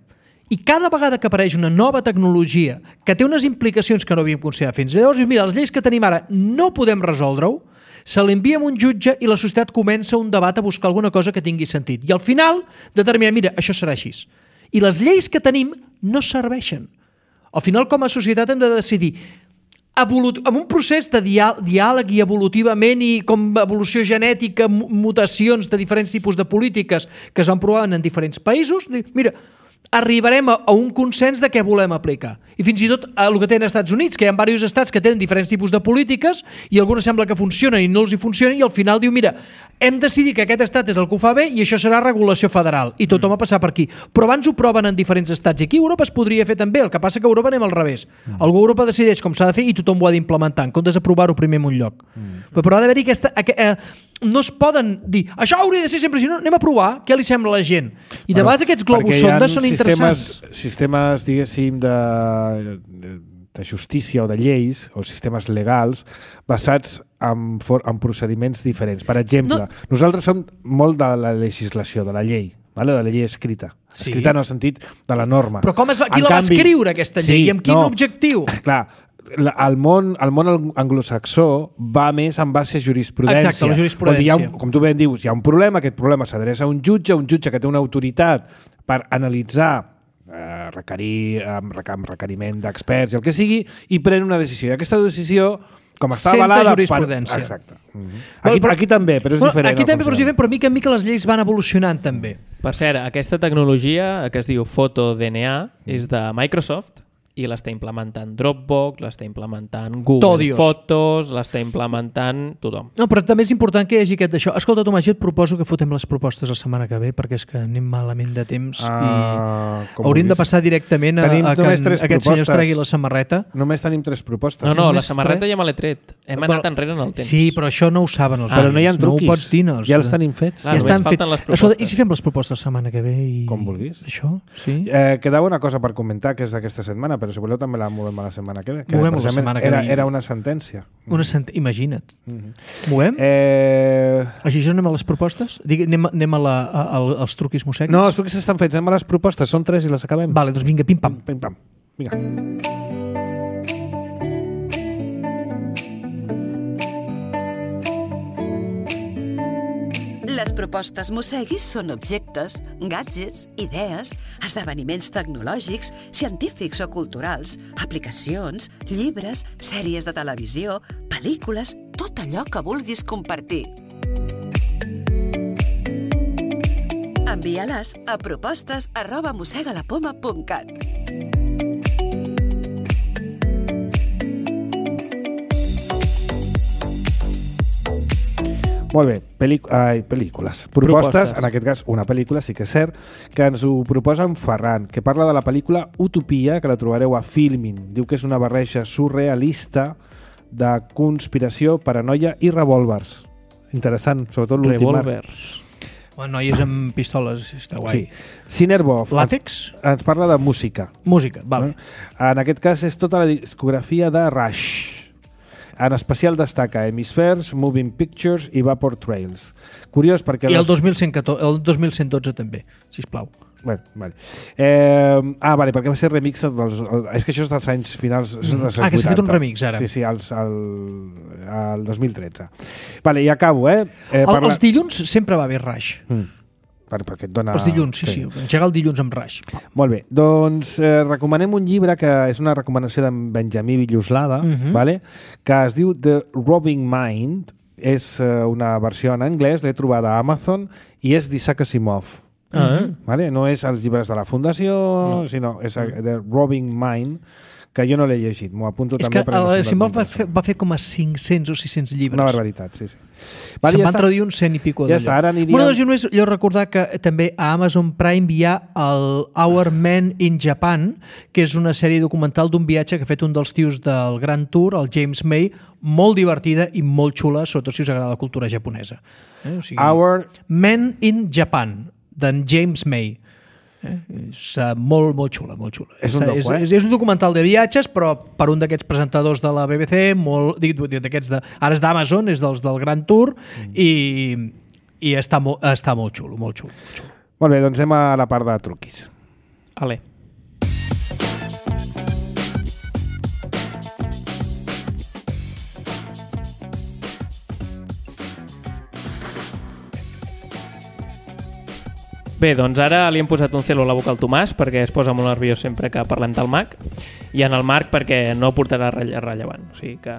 I cada vegada que apareix una nova tecnologia que té unes implicacions que no havíem considerat fins llavors, mira, les lleis que tenim ara no podem resoldre-ho, se l'envia a un jutge i la societat comença un debat a buscar alguna cosa que tingui sentit. I al final determina, mira, això serà així. I les lleis que tenim no serveixen. Al final, com a societat, hem de decidir evolut- amb un procés de dià- diàleg i evolutivament i com evolució genètica, mutacions de diferents tipus de polítiques que es van provar en diferents països, dir, mira, arribarem a, a un consens de què volem aplicar. I fins i tot el que tenen als Estats Units, que hi ha diversos estats que tenen diferents tipus de polítiques i algunes sembla que funcionen i no els hi funcionen i al final diu, mira, hem decidit que aquest estat és el que ho fa bé i això serà regulació federal i tothom mm. a passar per aquí. Però abans ho proven en diferents estats i aquí a Europa es podria fer també, el que passa que a Europa anem al revés. Mm. Algú a Europa decideix com s'ha de fer i tothom ho ha d'implementar, en comptes d'aprovar-ho primer en un lloc. Mm. Però, però ha d'haver-hi aquesta... Eh, no es poden dir, això hauria de ser sempre, si no, anem a provar què li sembla a la gent. I de vegades aquests globus sondes són interessants. Sistemes, diguéssim, de, de, de justícia o de lleis, o sistemes legals, basats en, for, en procediments diferents. Per exemple, no. nosaltres som molt de la legislació, de la llei, vale? De la llei escrita. Sí. Escrita en el sentit de la norma. Però com es va, qui en la canvi, va escriure, aquesta llei? Sí, I amb quin no, objectiu? Clar, el món, el món anglosaxó va més en base a jurisprudència. Exacte, la jurisprudència. Hi ha un, com tu ben dius, hi ha un problema, aquest problema s'adreça a un jutge, un jutge que té una autoritat per analitzar, eh, requerir amb, amb requeriment d'experts i el que sigui, i pren una decisió. I aquesta decisió, com està Senta avalada... jurisprudència. Per... Exacte. Mm-hmm. Aquí, però, aquí també, però és bueno, diferent. Aquí també, però és diferent, però mica en mica les lleis van evolucionant també. Per cert, aquesta tecnologia que es diu FotoDNA mm. és de Microsoft i l'està implementant Dropbox, l'està implementant Google Todios. Fotos, l'està implementant tothom. No, però també és important que hi hagi aquest d'això. Escolta, Tomàs, jo et proposo que fotem les propostes la setmana que ve, perquè és que anem malament de temps ah, i hauríem de passar directament a, a que aquest senyor es tregui la samarreta. Només tenim tres propostes. No, no, Només la samarreta tres? Ja me l'he tret. Hem però, anat enrere en el temps. Sí, però això no ho saben els ah, però no hi ha truquis. No ho pots dir. No, ja els tenim fets. Ah, ja estan fets. Les Escolta, i si fem les propostes la setmana que ve? I... Com vulguis. Això, sí. Eh, quedava una cosa per comentar, que és d'aquesta setmana, però si voleu també la movem a la setmana que ve. Que movem la setmana que era, ve. Era una sentència. Una sent... Imagina't. Mm-hmm. Movem? Eh... Així ja anem a les propostes? Digue, anem, anem a la, a, a, als truquis mossèquics? No, els truquis estan fets. Anem a les propostes. Són tres i les acabem. Vale, doncs vinga, pim-pam. Pim-pam. Vinga. Les propostes Mosseguis són objectes, gadgets, idees, esdeveniments tecnològics, científics o culturals, aplicacions, llibres, sèries de televisió, pel·lícules, tot allò que vulguis compartir. Envia-les a propostes arroba mossegalapoma punt cat. Molt bé, Pel·lic... Ai, pel·lícules. Propostes, Propostes, en aquest cas una pel·lícula, sí que és cert, que ens ho proposa en Ferran, que parla de la pel·lícula Utopia, que la trobareu a Filmin. Diu que és una barreja surrealista de conspiració, paranoia i revòlvers. interessant, sobretot l'últim arc. Revolvers. Bueno, noies amb pistoles, està guai. Sí. Cinerbov Làtex? ens, ens parla de música. Música, vale. En aquest cas és tota la discografia de Rush. En especial destaca Hemispheres, Moving Pictures i Vapor Trails. Curiós perquè... I el dos mil cent catorze, el dos mil cent dotze també, sisplau. Bueno, vale. Eh, ah, vale, perquè va ser remix dels... És que això és dels anys finals... Mm. Dels ah, que s'ha fet un remix, ara. Sí, sí, als, al, al dos mil tretze. Vale, i acabo, eh? eh el, parla... Els dilluns sempre va bé Rush. Mm. Per, perquè et dona... Els dilluns, sí, sí. sí. Engegar el dilluns amb Rush. Molt bé. Doncs eh, recomanem un llibre que és una recomanació d'en Benjamí Villoslada, uh -huh. vale? Que es diu The Robbing Mind. És eh, una versió en anglès, l'he trobada a Amazon, i és d'Isaac Asimov. Uh -huh. Vale? No és els llibres de la Fundació, no. sinó és uh-huh. The Robbing Mind, que jo no l'he llegit. M'ho apunto és també. És que Asimov va, fer, va fer com a cinc-cents o sis-cents llibres. Una barbaritat, sí, sí. Vale, Se'n ja van traduir un cent i pico ja d'allò. Està, ara aniríem... Bueno, doncs jo només jo recordar que també a Amazon Prime hi ha el Our Men in Japan, que és una sèrie documental d'un viatge que ha fet un dels tios del Grand Tour, el James May, molt divertida i molt xula, sobretot si us agrada la cultura japonesa. Eh? O sigui, Our... Men in Japan, d'en James May. Eh? És uh, molt, molt xula, molt xula. És un, docu, és, eh? és, és un documental de viatges, però per un d'aquests presentadors de la B B C, molt, d'aquests de, ara és d'Amazon, és dels del Grand Tour, mm. i, i està, mo, està molt xulo, molt xulo, molt xulo. Molt bé, doncs anem a la part de truquis. Ale. Bé, doncs ara li hem posat un celo a la boca al Tomàs perquè es posa molt nerviós sempre que parlem del Mac, i en el Marc perquè no portarà relle rellevant. O sigui que...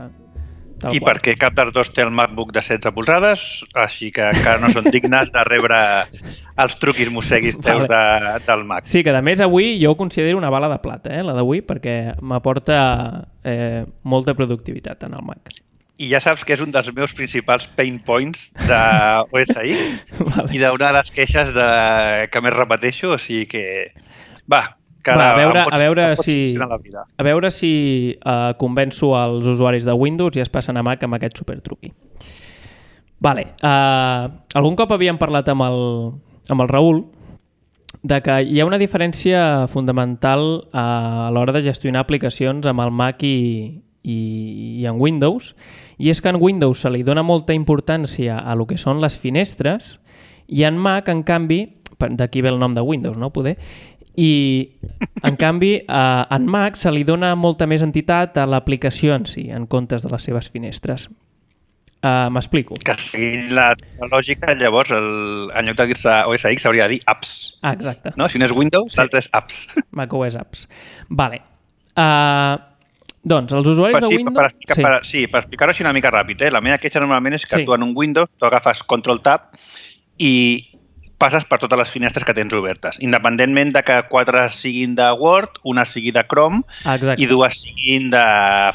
I qual. Perquè cap dels dos té el MacBook de setze polzades, així que encara no són dignes de rebre els truquis mosseguis teus vale. de, del Mac. Sí, que a més avui jo ho considero una bala de plata, eh, la d'avui, perquè m'aporta eh, molta productivitat en el Mac. I ja saps que és un dels meus principals pain points de O S X vale. I d'una de les queixes de... que més repeteixo, o sigui que... Va, que Va, a veure, pots, a veure si, la vida. a veure si uh, convenço els usuaris de Windows i es passen a Mac amb aquest supertruqui. Vale, uh, algun cop havíem parlat amb el, amb el Raül de que hi ha una diferència fundamental uh, a l'hora de gestionar aplicacions amb el Mac i, i, i en Windows, i és que en Windows se li dona molta importància a lo que són les finestres i en Mac, en canvi, d'aquí ve el nom de Windows, no? Poder, i en canvi eh, en Mac se li dona molta més entitat a l'aplicació en si, en comptes de les seves finestres. Uh, M'explico. Que seguint la lògica, llavors, el, en lloc de dir-se O S X s'hauria de dir apps. Ah, exacte. No? Si no és Windows, sí. L'altre és apps. macOS apps. Vale. Uh, doncs, els usuaris per, de sí, Windows... Per explicar, sí. Per, sí, per explicar-ho així una mica ràpid. Eh? La meva queixa normalment és que sí. Tu en un Windows tu agafes Control-Tab i passes per totes les finestres que tens obertes, independentment de que quatre siguin de Word, una sigui de Chrome Exacte. I dues siguin de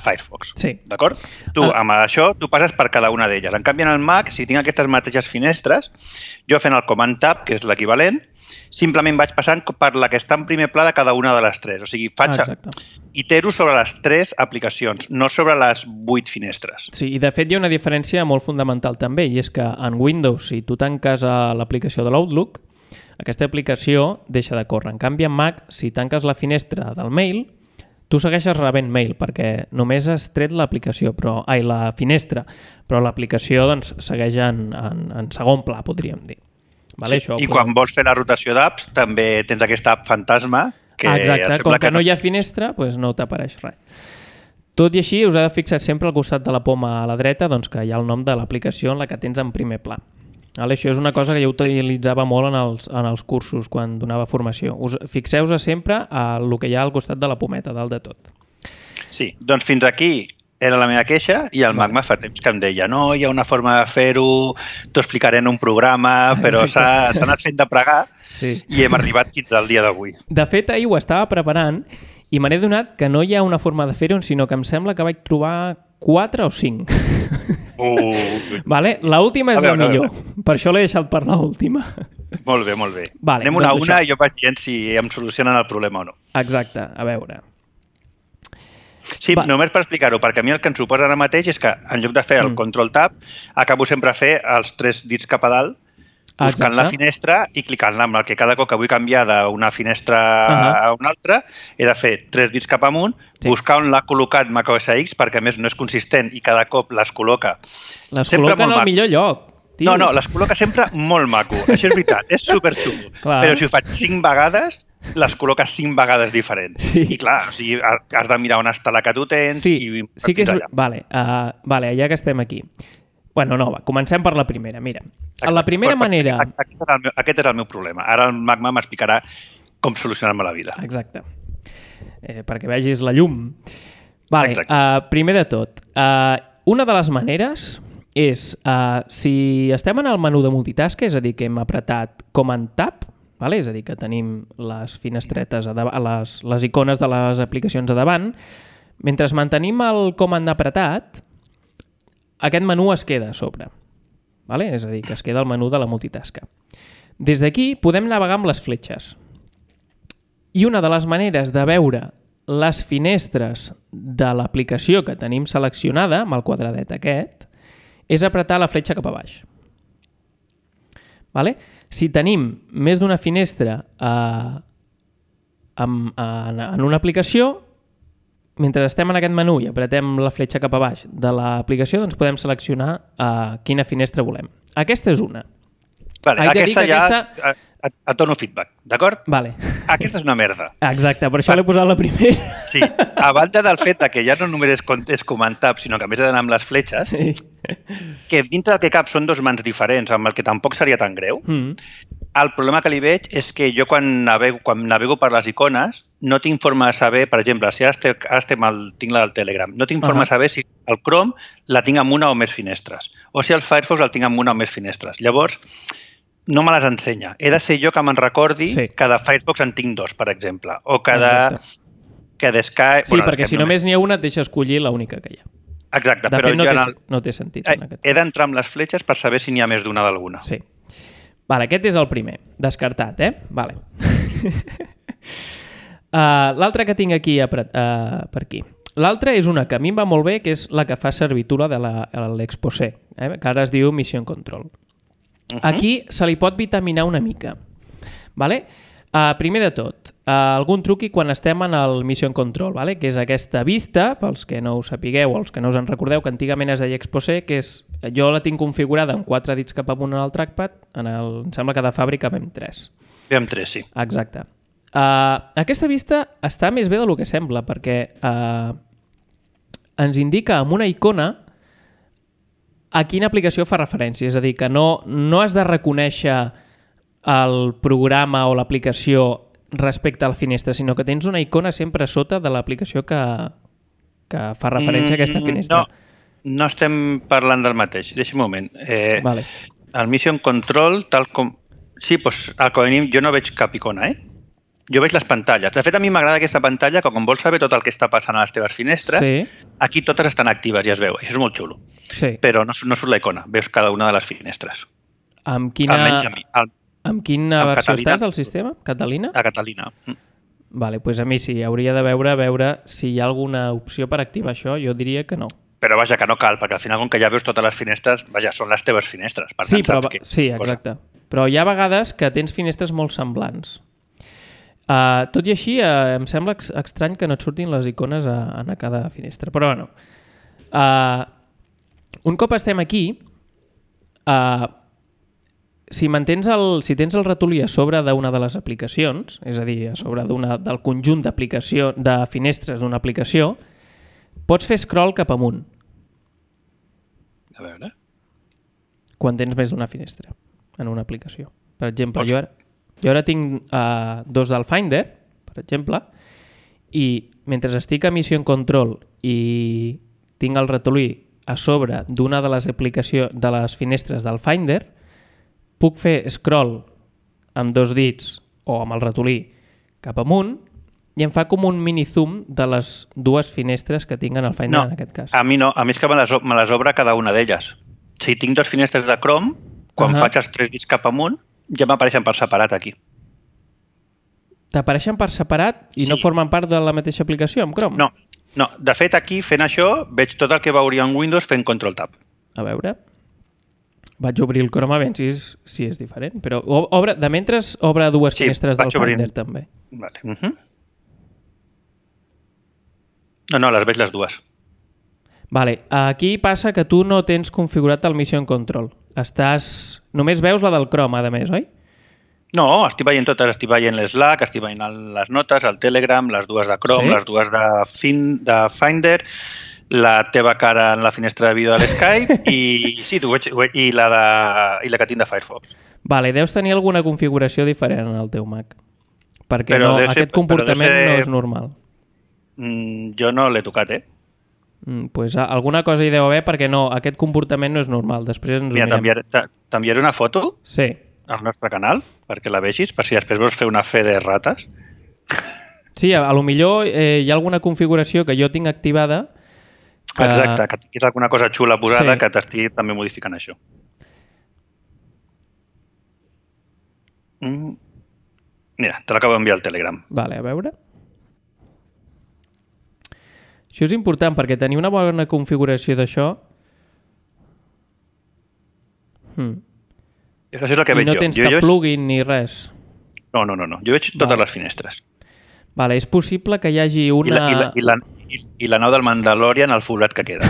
Firefox. Sí. D'acord? Tu, ah. amb això, tu passes per cada una d'elles. En canvi, en el Mac, si tinc aquestes mateixes finestres, jo fent el Command Tab, que és l'equivalent, simplement vaig passant per la que està en primer pla de cada una de les tres. O sigui, faig ah, itero sobre les tres aplicacions, no sobre les vuit finestres. Sí, i de fet hi ha una diferència molt fundamental també, i és que en Windows, si tu tanques l'aplicació de l'Outlook, aquesta aplicació deixa de córrer. En canvi, en Mac, si tanques la finestra del mail, tu segueixes rebent mail, perquè només has tret l'aplicació, però ai, la finestra, però l'aplicació doncs, segueix en, en, en segon pla, podríem dir. Vale, sí, això, I però... quan vols fer la rotació d'apps també tens aquesta app fantasma que exacte, com que, que no hi ha finestra doncs no t'apareix res. Tot i així us heu de fixar sempre al costat de la poma a la dreta doncs que hi ha el nom de l'aplicació en la que tens en primer pla. Vale, això és una cosa que jo utilitzava molt en els, en els cursos quan donava formació. Us fixeu-vos sempre a el que hi ha al costat de la pometa, dalt de tot. Sí, doncs fins aquí era la meva queixa i el Mac fa temps que em deia no, hi ha una forma de fer-ho, t'ho explicaré en un programa, però s'ha anat fent de pregar sí. I hem arribat fins al dia d'avui. De fet, ahir ho estava preparant i me n'he donat que no hi ha una forma de fer-ho, sinó que em sembla que vaig trobar quatre o cinc. Uh. Vale? L'última és veure, la millor, per això l'he deixat per l'última. Molt bé, molt bé. Vale, anem una a doncs una això. I jo vaig dient si em solucionen el problema o no. Exacte, a veure. Sí, Va. només per explicar-ho, perquè a mi el que em suposa ara mateix és que en lloc de fer el mm. control tab, acabo sempre a fer els tres dits cap a dalt, buscant Exacte. la finestra i clicant-la, amb el que cada cop que vull canviar d'una finestra uh-huh. a una altra, he de fer tres dits cap amunt, sí. buscar on l'ha col·locat macOS X, perquè a més no és consistent i cada cop les col·loca. Les col·loca en el maco. millor lloc. Tio. No, no, les col·loca sempre molt maco. Això és veritat, és superxulo. Però si ho faig cinc vegades, les col·loques cinc vegades diferents. Sí. I clar, o sigui, has de mirar on està la que tu tens. Sí, i sí que és... Allà. Vale, uh, vale, ja que estem aquí. Bueno, no, va, comencem per la primera. Mira, Exacte. la primera Però, manera... Aquest és, el meu, aquest és el meu problema. Ara el Magma m'explicarà com solucionar-me la vida. Exacte. Eh, perquè vegis la llum. Vale, uh, primer de tot, uh, una de les maneres és, uh, si estem en el menú de multitasca, és a dir, que hem apretat Command Tab, vale? És a dir, que tenim les finestretes, a davant, les, les icones de les aplicacions a davant, mentre mantenim el Command apretat, aquest menú es queda a sobre. Vale? És a dir, que es queda el menú de la multitasca. Des d'aquí podem navegar amb les fletxes. I una de les maneres de veure les finestres de l'aplicació que tenim seleccionada, amb el quadradet aquest, és apretar la fletxa cap a baix. Vale? Si tenim més d'una finestra eh, en, en, en una aplicació, mentre estem en aquest menú i apretem la fletxa cap a baix de l'aplicació, doncs podem seleccionar uh, quina finestra volem. Aquesta és una. Vale, aquesta ja aquesta... et, et dono feedback, d'acord? Vale. Aquesta és una merda. Exacte, per això l'he posat la primera. Sí, a banda del fet que ja no només és, és Command Tab, sinó que a més he d'anar amb les fletxes, sí. que dintre del que cap són dos mans diferents, amb el que tampoc seria tan greu, mm. el problema que li veig és que jo quan navego, quan navego per les icones no tinc forma de saber, per exemple, si ara estem, ara estem al, tinc la del Telegram, no tinc forma uh -huh. de saber si el Chrome la tinc amb una o més finestres, o si el Firefox el tinc amb una o més finestres. Llavors, no me les ensenya. He de ser jo que me'n recordi sí. que de Firefox en tinc dos, per exemple, o que de, que de Skype... Sí, bueno, perquè si només n'hi ha una et deixa escollir l'única que hi ha. Exacte. De però fet, no, jo té, el... no té sentit. En aquest he d'entrar amb les fletxes per saber si n'hi ha més d'una d'alguna. Sí. Vale, aquest és el primer. Descartat, eh? Vale. uh, L'altre que tinc aquí uh, per aquí. L'altra és una que a mi em va molt bé, que és la que fa servir tu, la de l'Exposé, eh? que ara es diu Mission Control. Uh-huh. Aquí se li pot vitaminar una mica. Vale? Uh, primer de tot, uh, algun truqui quan estem en el Mission Control, vale? Que és aquesta vista, pels que no ho sapigueu o els que no us en recordeu, que antigament es deia Exposé, que és, jo la tinc configurada amb quatre dits cap amunt en el trackpad, en el, em sembla que de fàbrica vam tres. Vam tres, sí. Exacte. Uh, aquesta vista està més bé del que sembla, perquè uh, ens indica amb una icona a quina aplicació fa referència. És a dir, que no, no has de reconèixer el programa o l'aplicació respecte a la finestra, sinó que tens una icona sempre a sota de l'aplicació que, que fa referència a aquesta finestra. No, no estem parlant del mateix. Deixa'm un moment. Eh, vale. El Mission Control, tal com... Sí, doncs, com a mínim, jo no veig cap icona, eh? Jo veig les pantalles. De fet, a mi m'agrada aquesta pantalla, que quan vols saber tot el que està passant a les teves finestres, sí. aquí totes estan actives i es veu. Això és molt xulo. Sí. Però no, no surt la icona, veus cada una de les finestres. Amb quina, Almenys a mi, al... amb quina amb versió Catalina. Estàs del sistema? Catalina? A Catalina. Mm. Vale, doncs a mi sí, hauria de veure, veure si hi ha alguna opció per activar això. Jo diria que no. Però vaja, que no cal, perquè al final, com que ja veus totes les finestres, vaja, són les teves finestres. Per sí, tant, però, que... sí, exacte. Cosa. Però hi ha vegades que tens finestres molt semblants. Uh, tot i així, uh, em sembla ex estrany que no et surtin les icones a, a cada finestra. Però bueno, uh, un cop estem aquí, uh, si, mantens el, si tens el ratolí a sobre d'una de les aplicacions, és a dir, a sobre del conjunt d'aplicació de finestres d'una aplicació, pots fer scroll cap amunt. A veure... Quan tens més d'una finestra en una aplicació. Per exemple, pots... jo ara... Jo ara tinc uh, dos del Finder, per exemple, i mentre estic a Mission Control i tinc el ratolí a sobre d'una de les aplicacions de les finestres del Finder, puc fer scroll amb dos dits o amb el ratolí cap amunt i em fa com un mini zoom de les dues finestres que tinc en el Finder, no, en aquest cas. A mi no, a mi és que me les, me les obre cada una d'elles. Si tinc dues finestres de Chrome, quan uh-huh. faig els tres dits cap amunt, ja m'apareixen per separat aquí. T'apareixen per separat i sí. no formen part de la mateixa aplicació amb Chrome? No, No, de fet, aquí, fent això, veig tot el que veuria en Windows fent Control-Tab. A veure... Vaig obrir el Chrome a veure si és, si és diferent. Però obre, de mentre obre dues sí, finestres del obrint. Finder, també. Vale. Uh -huh. No, no, les veig les dues. Vale. Aquí passa que tu no tens configurat el Mission Control. Estàs... Només veus la del Chrome, a més, oi? No, estic veient totes. Estic veient l'Slack, estic veient les notes, el Telegram, les dues de Chrome, sí? Les dues de, fin, de Finder, la teva cara en la finestra de vídeo de l'Skype i, sí, tu veig, i, la de, i la que tinc de Firefox. Vale, deus tenir alguna configuració diferent en el teu Mac. Perquè no, ser, aquest comportament ser... no és normal. Mm, jo no l'he tocat, eh? Mm, pues alguna cosa hi deu haver perquè no, aquest comportament no és normal. Després ens Mira, t'enviaré una foto sí. al nostre canal perquè la vegis, per si després vols fer una fe de rates. Sí, a, a lo millor eh, hi ha alguna configuració que jo tinc activada que... Exacte, que tinguis alguna cosa xula posada sí. que t'estigui també modificant això. Mm. Mira, te l'acabo d'enviar al Telegram. Vale, a veure. Això és important perquè tenir una bona configuració d'això hmm. Això és el que I veig no jo. tens jo, cap jo... plugin ni res. No, no, no, no. Jo veig totes vale. les finestres. Vale, és possible que hi hagi una... I la, i la, i la, i, i la nau del Mandalorian al forat que queda.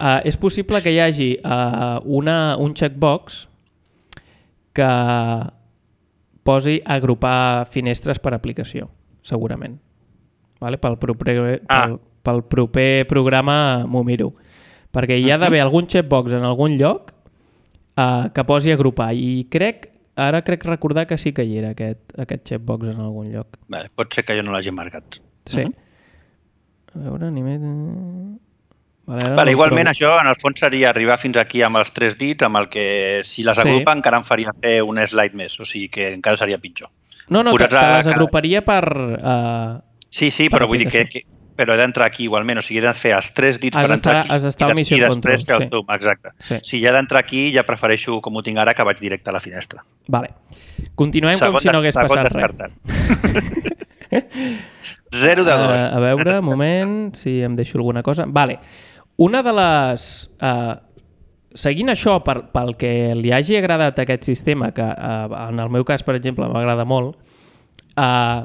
uh, és possible que hi hagi uh, una, un checkbox que posi agrupar finestres per aplicació, segurament. Vale? Pel, proper, ah. pel, pel proper programa m'ho miro. Perquè hi ha d'haver algun checkbox en algun lloc uh, que posi agrupar. I crec, ara crec recordar que sí que hi era aquest, aquest checkbox en algun lloc. Vale, pot ser que jo no l'hagi marcat. Sí? Uh -huh. A veure, ni més... Vale, vale, igualment trobo. Això en el fons seria arribar fins aquí amb els tres dits, amb el que si les agrupa sí. encara em faria fer un slide més, o sigui que encara seria pitjor. No, no, te, te les agruparia per... Uh, sí, sí, per però vull dir que, que però he d'entrar aquí igualment, o sigui, he de fer els tres dits has per entrar aquí. Has d'estar al Mission Control. Sí. El zoom, exacte. Sí. Si ja he d'entrar aquí, ja prefereixo, com ho tinc ara, que vaig directe a la finestra. Vale. Continuem segon com si no hagués passat descartat. res. Zero de dos. Uh, a veure, un moment, si em deixo alguna cosa. Vale. Una de les... Uh, seguint això, per, pel que li hagi agradat aquest sistema, que uh, en el meu cas, per exemple, m'agrada molt, uh,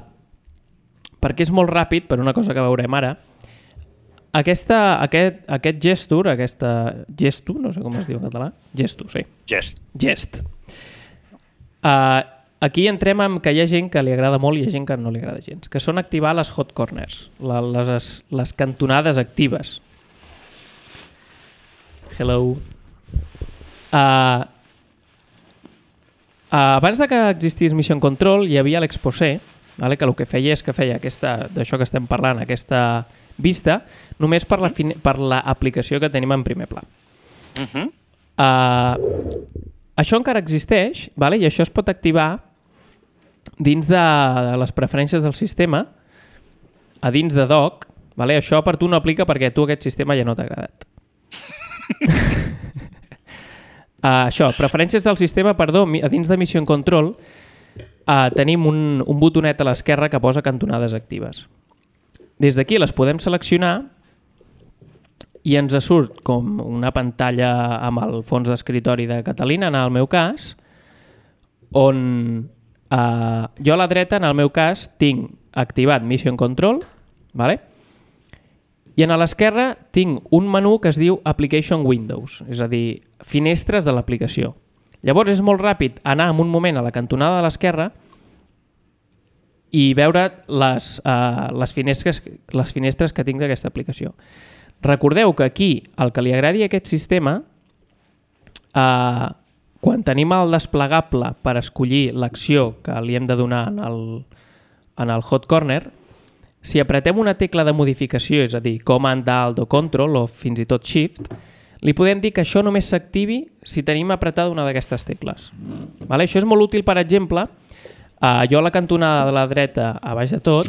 perquè és molt ràpid, per una cosa que veurem ara, aquesta, aquest, aquest gesture, aquesta... Gestu, no sé com es diu en català. Gestu, sí. Gest. Gest. Uh, aquí entrem amb que hi ha gent que li agrada molt i hi ha gent que no li agrada gens, que són activar les hot corners, la, les, les cantonades actives. Hello. Uh, uh, abans de que existís Mission Control hi havia l'Exposé, vale? Que el que feia és que feia aquesta, d'això que estem parlant, aquesta vista, només per la fine, per l'aplicació que tenim en primer pla. Uh-huh. uh, això encara existeix, vale? I això es pot activar dins de les preferències del sistema, a dins de Doc. Vale? Això per tu no aplica perquè a tu aquest sistema ja no t'ha agradat. uh, això, preferències del sistema, perdó, a dins de Mission Control uh, tenim un, un botonet a l'esquerra que posa cantonades actives. Des d'aquí les podem seleccionar i ens surt com una pantalla amb el fons d'escritori de Catalina, en el meu cas, on uh, jo a la dreta, en el meu cas, tinc activat Mission Control, vale? I a l'esquerra tinc un menú que es diu Application Windows, és a dir, finestres de l'aplicació. Llavors és molt ràpid anar en un moment a la cantonada de l'esquerra i veure les, uh, les, finestres, les finestres que tinc d'aquesta aplicació. Recordeu que aquí, el que li agradi a aquest sistema, uh, quan tenim el desplegable per escollir l'acció que li hem de donar en el, en el hot corner, si apretem una tecla de modificació, és a dir, Command, Alt o Control o fins i tot Shift, li podem dir que això només s'activi si tenim apretada una d'aquestes tecles. Vale? Això és molt útil, per exemple, uh, jo a la cantonada de la dreta, a baix de tot...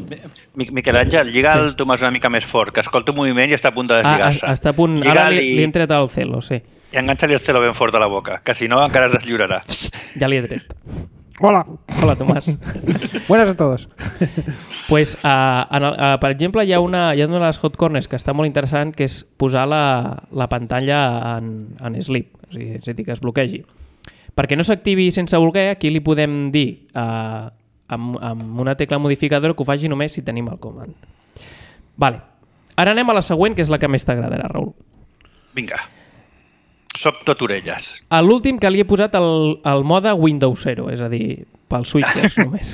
Miquel Àngel, lliga sí. el Tomàs una mica més fort, que escolta un moviment i està a punt de deslligar-se. Ah, està a punt... Lliga Ara li, i... li hem tret el celo, sí. I enganxa-li el celo ben fort a la boca, que si no encara es deslliurarà. Ja li he tret. Hola. Hola, Tomàs. Buenas a todos. Pues, uh, en el, uh, per exemple, hi ha, una, hi ha una de les hot corners que està molt interessant, que és posar la, la pantalla en, en sleep, o sigui, és a dir, que es bloquegi. Perquè no s'activi sense voler, aquí li podem dir uh, amb, amb una tecla modificadora que ho faci només si tenim el comand. Vale. Ara anem a la següent, que és la que més t'agradarà, Raül. Vinga. Soc tot orelles. A l'últim que li he posat el, el mode Windows zero, és a dir, pels switches només.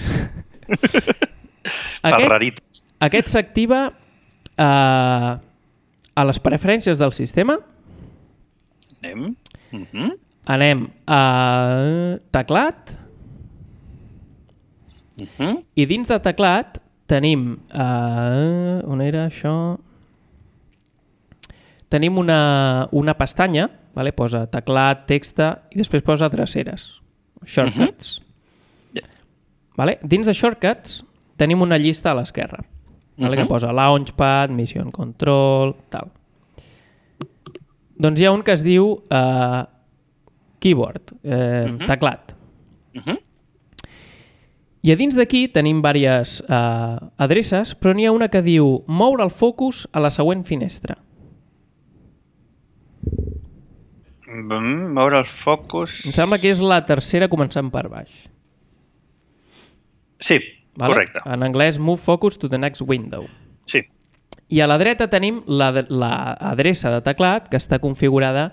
Pels raritos. Aquest s'activa uh, a les preferències del sistema. Anem. Uh-huh. Anem a teclat. Uh-huh. I dins de teclat tenim... Uh, on era això? Tenim una, una pestanya, vale? Posa teclat, texta i després posa dreceres, shortcuts. Uh-huh. Yeah. Vale? Dins de shortcuts tenim una llista a l'esquerra, vale? Uh-huh. Que posa Launchpad, Mission Control, tal. Doncs hi ha un que es diu uh, Keyboard, eh, uh-huh. teclat. Uh-huh. I a dins d'aquí tenim diverses uh, adreces, però n'hi ha una que diu moure el focus a la següent finestra. Mm, moure el focus... Em sembla que és la tercera començant per baix. Sí, vale? Correcte. En anglès, move focus to the next window. Sí. I a la dreta tenim la, la adreça de teclat que està configurada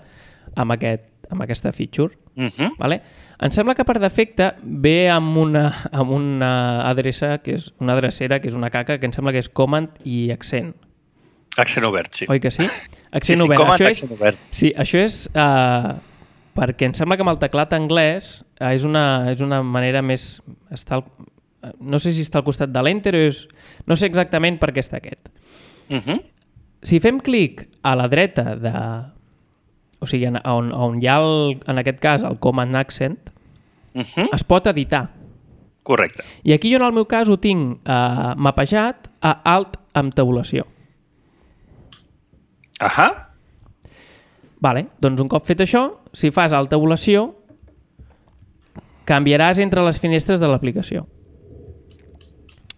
amb, aquest, amb aquesta feature. Uh-huh. Vale? Em sembla que per defecte ve amb una, amb una adreça que és una adrecera, que és una caca, que em sembla que és command i accent. Accent obert, sí. Oi que sí? Accent sí, sí, obert. com això accent és, obert. Sí, això és uh, perquè em sembla que amb el teclat anglès uh, és, una, és una manera més... Està al, no sé si està al costat de l'Enter o és... No sé exactament per què està aquest. Uh-huh. Si fem clic a la dreta de... O sigui, on, on hi ha, el, en aquest cas, el Command Accent, uh-huh. es pot editar. Correcte. I aquí jo, en el meu cas, ho tinc uh, mapejat a Alt amb tabulació. Ahà. Vale, doncs un cop fet això, si fas Alt tabulació, canviaràs entre les finestres de l'aplicació.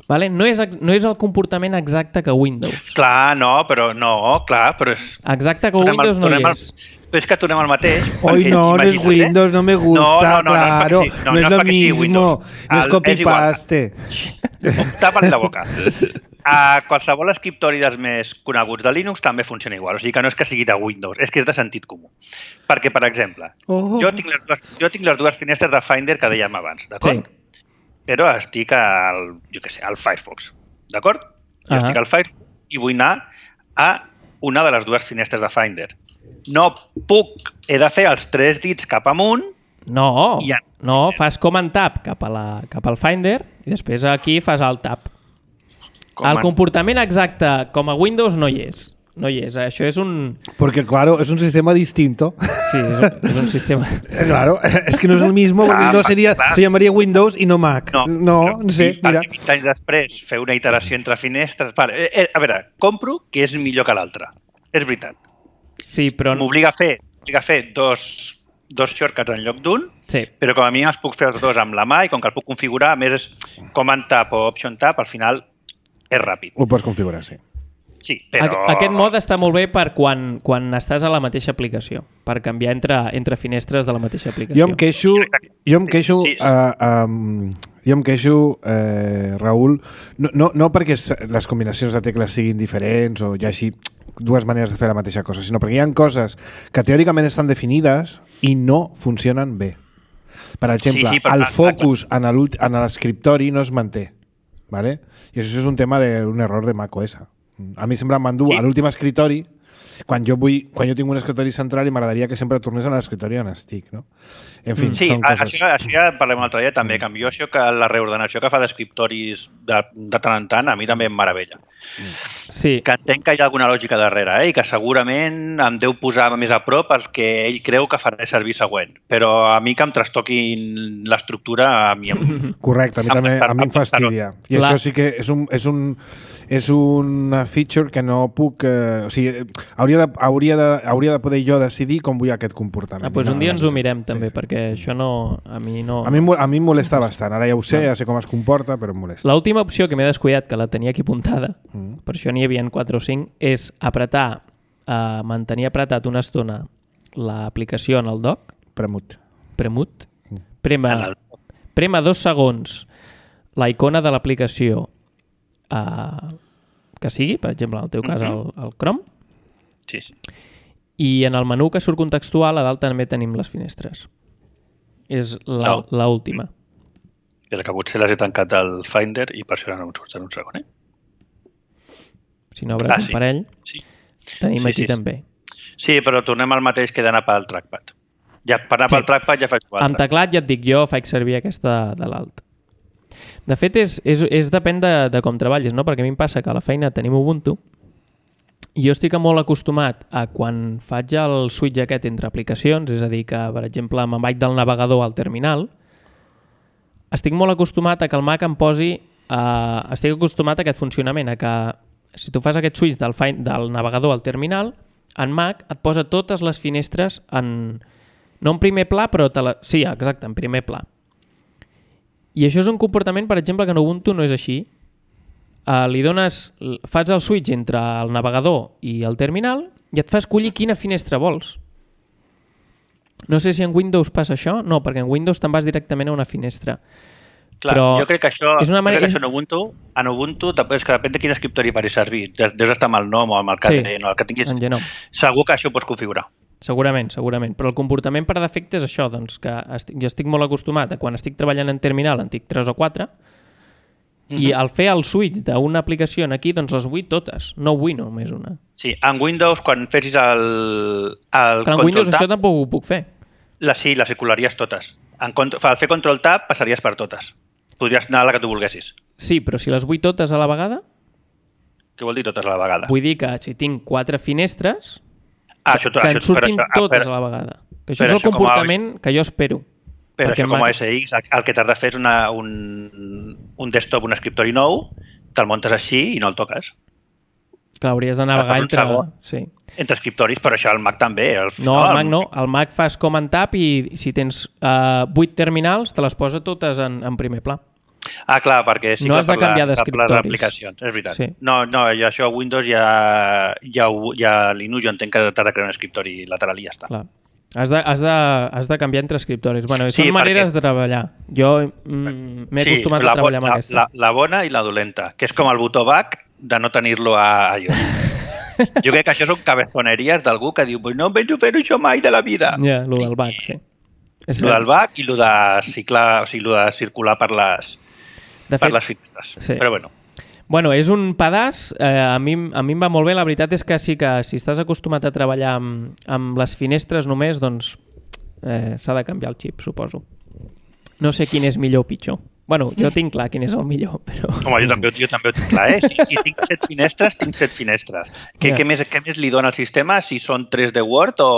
Vale? No, és, no és el comportament exacte que Windows. Clar, no, però no, clar, però és... Exacte que Windows no hi és. Però és que tornem al mateix. Hoy no, no es Windows, no me gusta, no, no, no, claro, no, no, no es lo mismo, no es copy-paste. Tapa't la boca. A qualsevol escriptori dels més coneguts de Linux també funciona igual, o sigui que no és que sigui de Windows, és que és de sentit comú. Perquè, per exemple, oh. jo, tinc les dues, jo tinc les dues finestres de Finder que dèiem abans, d'acord? Sí. Però estic al, jo què sé, al Firefox, d'acord? Jo uh-huh. estic al Firefox i vull anar a una de les dues finestres de Finder. No puc, he de fer els tres dits cap amunt. No, ja... no, fas Command Tab cap, a la, cap al Finder i després aquí fas Alt Tab. Command... El comportament exacte com a Windows no hi és. No hi és, això és un... Porque, claro, es un sistema distinto. Sí, es un, es un sistema... Claro, es que no es el mismo, porque no sería, se llamaría Windows y no Mac. No, no, no sé, mira. vint anys després, fer una iteració entre finestres... Vale, eh, a veure, compro que és millor que l'altre. És veritat. Sí, però... M'obliga a fer, m'obliga a fer dos, dos shortcuts en lloc d'un, sí. Però com a mi els puc fer els dos amb la mà i com que el puc configurar, a més és Command Tab o Option Tab, al final és ràpid. Ho pots configurar, sí. Sí, però... Aquest mode està molt bé per quan, quan estàs a la mateixa aplicació, per canviar entre, entre finestres de la mateixa aplicació. Jo em queixo, jo em queixo, sí, sí. Uh, um, jo em queixo uh, Raül, no, no, no perquè les combinacions de tecles siguin diferents o hi hagi dues maneres de fer la mateixa cosa, sinó perquè hi ha coses que teòricament estan definides i no funcionen bé. Per exemple, sí, sí, el focus en l'escriptori no es manté, ¿vale? I això és un tema d'un error de macOS. A mi sempre m'endú sí. a l'últim escritori, quan jo, vull, quan jo tinc un escritori central i m'agradaria que sempre tornés a l'escritori on estic, no? En fi, sí, són coses... això, això ja parlem un altre dia també, que jo això que la reordenació que fa d'escriptoris de, de tant en tant, a mi també em meravella. Sí. Que entenc que hi ha alguna lògica darrere, eh? I que segurament em deu posar més a prop el que ell creu que farà servir següent. Però a mi que em trastoquin l'estructura, a mi em... Correcte, a mi també a mi em fastidia. I la... això sí que és un... És un és una feature que no puc... Eh, o sigui, hauria de, hauria, de, hauria de poder jo decidir com vull aquest comportament. Ah, doncs un dia ens ho mirem també, sí, sí. perquè això no... A mi no... A mi, a mi em molesta bastant. Ara ja ho sé, ja sé com es comporta, però em molesta. L'última opció que m'he descuidat, que la tenia aquí apuntada, mm. per això n'hi havia quatre o cinc, és apretar, eh, mantenir apretat una estona l'aplicació en el dock. Premut. Premut. Prema, prema dos segons la icona de l'aplicació eh, que sigui, per exemple, en el teu cas el, el Chrome. Sí, sí. I en el menú que surt contextual a dalt també tenim les finestres. És la, no. la última. És que potser les he tancat al Finder i per això no em surten un segon, eh? Si no obres ah, un sí. parell, sí. tenim sí, aquí sí, també. Sí, però tornem al mateix que d'anar pel trackpad. Ja, per anar sí. pel trackpad ja faig quatre. Amb teclat ja et dic jo, faig servir aquesta de l'alt. De fet, és, és, és depèn de, de com treballis, no? Perquè a mi em passa que a la feina tenim Ubuntu i jo estic molt acostumat a quan faig el switch aquest entre aplicacions, és a dir, que, per exemple, me'n vaig del navegador al terminal, estic molt acostumat a que el Mac em posi... Uh, estic acostumat a aquest funcionament, a que si tu fas aquest switch del, del navegador al terminal, en Mac et posa totes les finestres en... no en primer pla, però... Te la... Sí, exacte, en primer pla. I això és un comportament, per exemple, que en Ubuntu no és així. Uh, li dones, fas el switch entre el navegador i el terminal i et fa escollir quina finestra vols. No sé si en Windows passa això. No, perquè en Windows te'n vas directament a una finestra. Clar, però jo crec que això, és una manera... crec que això en Ubuntu, en Ubuntu és que depèn de quin escriptori faci servir. Deus estar amb el nom o amb el que, sí, no, el que tinguis. Segur que això ho pots configurar. Segurament, segurament. Però el comportament per defecte és això, doncs, que estic, jo estic molt acostumat a quan estic treballant en terminal en tinc tres o quatre uh-huh. i al fer el switch d'una aplicació aquí, doncs les vull totes, no vull només una. Sí, en Windows, quan fessis el, el Però en Windows tab, això tampoc ho puc fer. La, sí, les circularies totes. En, al fer control tab passaries per totes. Podries anar a la que tu volguessis. Sí, però si les vull totes a la vegada... Què vol dir totes a la vegada? Vull dir que si tinc quatre finestres... Ah, això, que això, en surtin això, totes per, a la vegada. Que això és el comportament a, que jo espero. Però això com a O S X, el que t'has de fer és una, un, un desktop, un escriptori nou, te'l muntes així i no el toques. Que hauries de navegar entre... Sí. Entre escriptoris, però això al Mac també. Al final, no, al Mac no. Al Mac fas Command Tab i si tens uh, vuit terminals, te les posa totes en, en primer pla. Ah, clar, perquè sí no que has de canviar d'escriptoris. Les aplicacions, és veritat. Sí. No, no, jo això a Windows ja, ja, ja Linux jo entenc que t'has de crear un escriptori lateral i ja està. Clar. Has de, has de, has de canviar entre escriptoris. Bueno, sí, són maneres perquè... de treballar. Jo mm, m'he sí, acostumat la, a treballar amb la, aquesta. La, la bona i la dolenta, que és com el botó back de no tenir-lo a, a iOS. Jo crec que això són cabezoneries d'algú que diu no em penso fer això mai de la vida. Ja, yeah, lo del back, sí. Lo del back i lo de, ciclar, o sigui, lo de circular per les... De per fet, les finestres, sí. Però bueno. Bueno, és un pedaç, eh, a, mi, a mi em va molt bé, la veritat és que sí que si estàs acostumat a treballar amb, amb les finestres només, doncs eh, s'ha de canviar el xip, suposo. No sé quin és millor o pitjor. Bueno, jo tinc clar quin és el millor, però... Home, jo també, jo també ho tinc clar, eh? Si, si tinc set finestres, tinc set finestres. Què, yeah. què, més, què més li dona al sistema si són tres de Word o,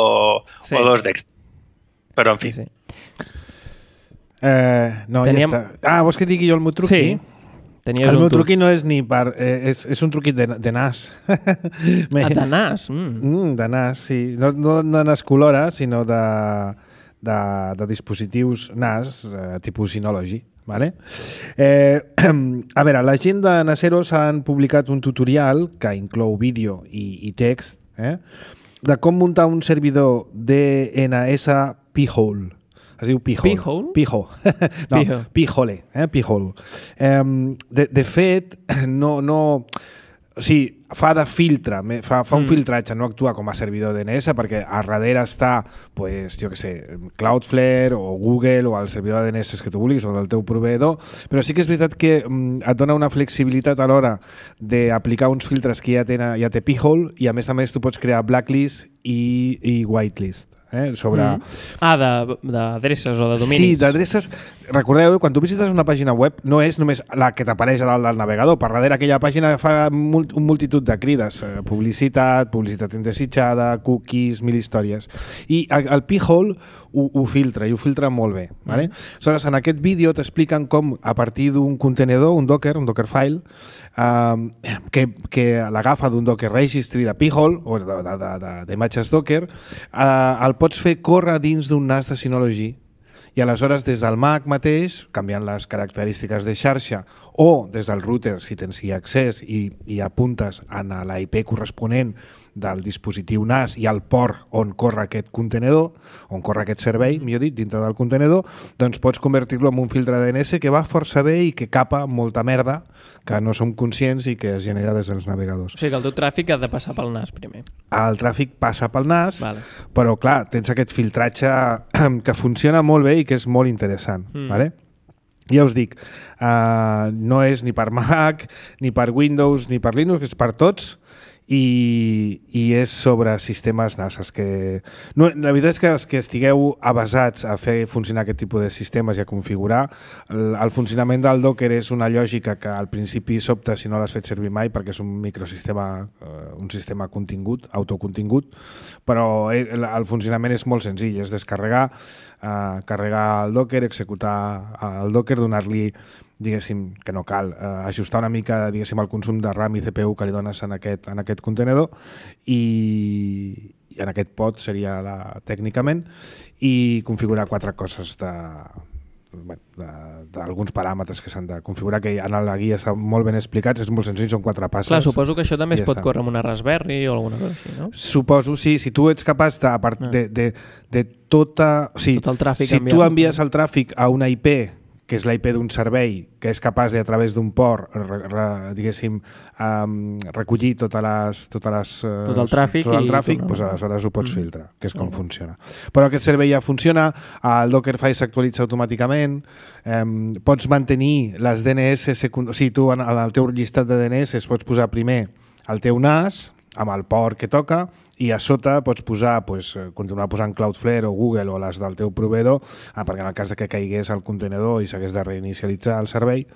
sí. o dos d'Excel? Però, en fi... Sí, sí. Eh, no, Teníem... ja està. Ah, vols que digui jo el meu truqui? Sí. Tenies el un meu truc. truqui no és ni per... Eh, és, és un truqui de, de nas. Ah, de nas? Mm. Mm, de nas, sí. No, no de nas colora, sinó de, de, de dispositius nas, eh, tipus Synology. Vale? Eh, a veure, la gent de Naseros han publicat un tutorial que inclou vídeo i, i text eh, de com muntar un servidor D N S P-hole. Es diu P-hole. P-hole? P-hole. No, P-hole. Eh? P-hole. Eh, de, de fet, no... no o sigui, fa de filtre, fa, fa un mm. filtratge, no actua com a servidor D N S, perquè a darrere està, pues, jo què sé, Cloudflare o Google o el servidor de D N S que tu vulguis o del teu proveïdor, però sí que és veritat que mm, et dona una flexibilitat a l'hora d'aplicar uns filtres que ja, tenen, ja té P-hole i a més a més tu pots crear blacklist i, i whitelist. eh? sobre... Mm. Ah, d'adreces o de dominis. Sí, d'adreces. Recordeu, quan tu visites una pàgina web, no és només la que t'apareix a dalt del navegador. Per darrere aquella pàgina fa mul un multitud de crides. Eh, publicitat, publicitat indesitjada, cookies, mil històries. I el P-hole ho, ho filtra, i ho filtra molt bé. Vale? Mm. Aleshores, en aquest vídeo t'expliquen com, a partir d'un contenedor, un Docker, un Dockerfile, eh, que, que l'agafa d'un Docker Registry de P-hole, o d'imatges Docker, eh, el pots fer córrer dins d'un N A S de Synology, i aleshores des del Mac mateix, canviant les característiques de xarxa, o des del router, si tens hi accés i, i apuntes en la I P corresponent del dispositiu N A S i al port on corre aquest contenedor, on corre aquest servei, millor dit, dintre del contenedor, doncs pots convertir-lo en un filtre D N S que va força bé i que capa molta merda que no som conscients i que es genera des dels navegadors. O sigui que el teu tràfic ha de passar pel N A S primer. El tràfic passa pel N A S, vale. Però clar, tens aquest filtratge que funciona molt bé i que és molt interessant. Mm. Vale? Ja us dic, uh, no és ni per Mac, ni per Windows, ni per Linux, és per tots, i, i és sobre sistemes N A S. Que... No, la veritat és que els que estigueu avasats a fer funcionar aquest tipus de sistemes i a configurar, el, el funcionament del Docker és una lògica que al principi sobta si no l'has fet servir mai, perquè és un microsistema, eh, un sistema contingut, autocontingut, però el, el funcionament és molt senzill, és descarregar, eh, carregar el Docker, executar el Docker, donar-li, diguéssim, que no cal, eh, ajustar una mica, diguéssim, el consum de RAM i C P U que li dones en aquest, en aquest contenedor i, i en aquest pod seria la, tècnicament, i configurar quatre coses de bueno, d'alguns paràmetres que s'han de configurar, que en la guia estan molt ben explicats, és molt senzill, són quatre passes. Clar, suposo que això també es pot córrer amb una Raspberry o alguna cosa així, no? Suposo, sí, si tu ets capaç de, a de, de, de tota... O sigui, tot el tràfic si tu envies el tràfic a una I P, que és la I P d'un servei, que és capaç de, a través d'un port, re, re, diguéssim, um, recollir totes les, totes les, uh, tot el tràfic, tot el tràfic, no, doncs aleshores ho pots mm. filtrar, que és com mm. funciona. Però aquest servei ja funciona, el Dockerfile s'actualitza automàticament, um, pots mantenir les D N S secundàries, o sigui, tu en el teu llistat de D N S pots posar primer el teu N A S, amb el port que toca, i a sota pots posar, pues, continuar posant Cloudflare o Google o les del teu proveedor, ah, perquè en el cas de que caigués el contenedor i s'hagués de reinicialitzar el servei,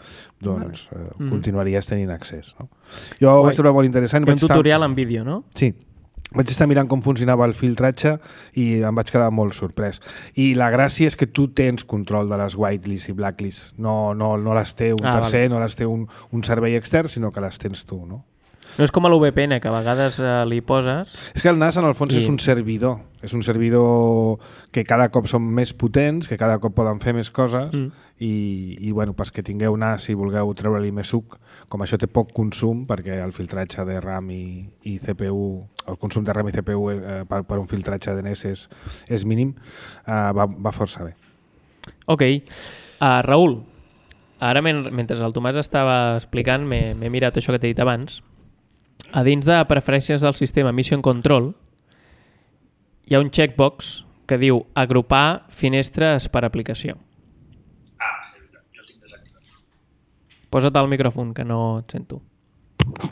doncs vale. eh, mm. continuaries tenint accés. No? Jo ho vaig trobar molt interessant. Un tutorial estar... en vídeo, no? Sí. Vaig estar mirant com funcionava el filtratge i em vaig quedar molt sorprès. I la gràcia és que tu tens control de les whitelists i blacklists. No, no, no les té un ah, tercer, vale. no les té un, un servei extern, sinó que les tens tu, no? No és com a l'U V P N, que a vegades eh, li poses... És que el N A S, en el fons, I... és un servidor. És un servidor que cada cop són més potents, que cada cop poden fer més coses, mm. i, i bueno, pas que tingueu N A S i vulgueu treure-li més suc, com això té poc consum, perquè el filtratge de RAM i, i C P U, el consum de RAM i C P U eh, per, per un filtratge de D N S és, és mínim, eh, va, va força bé. Ok. Uh, Raül, ara men mentre el Tomàs estava explicant, m'he mirat això que t'he dit abans. A dins de preferències del sistema Mission Control hi ha un checkbox que diu agrupar finestres per aplicació. Ah, sí, jo el tinc desactivat. Posa't al micròfon, que no et sento.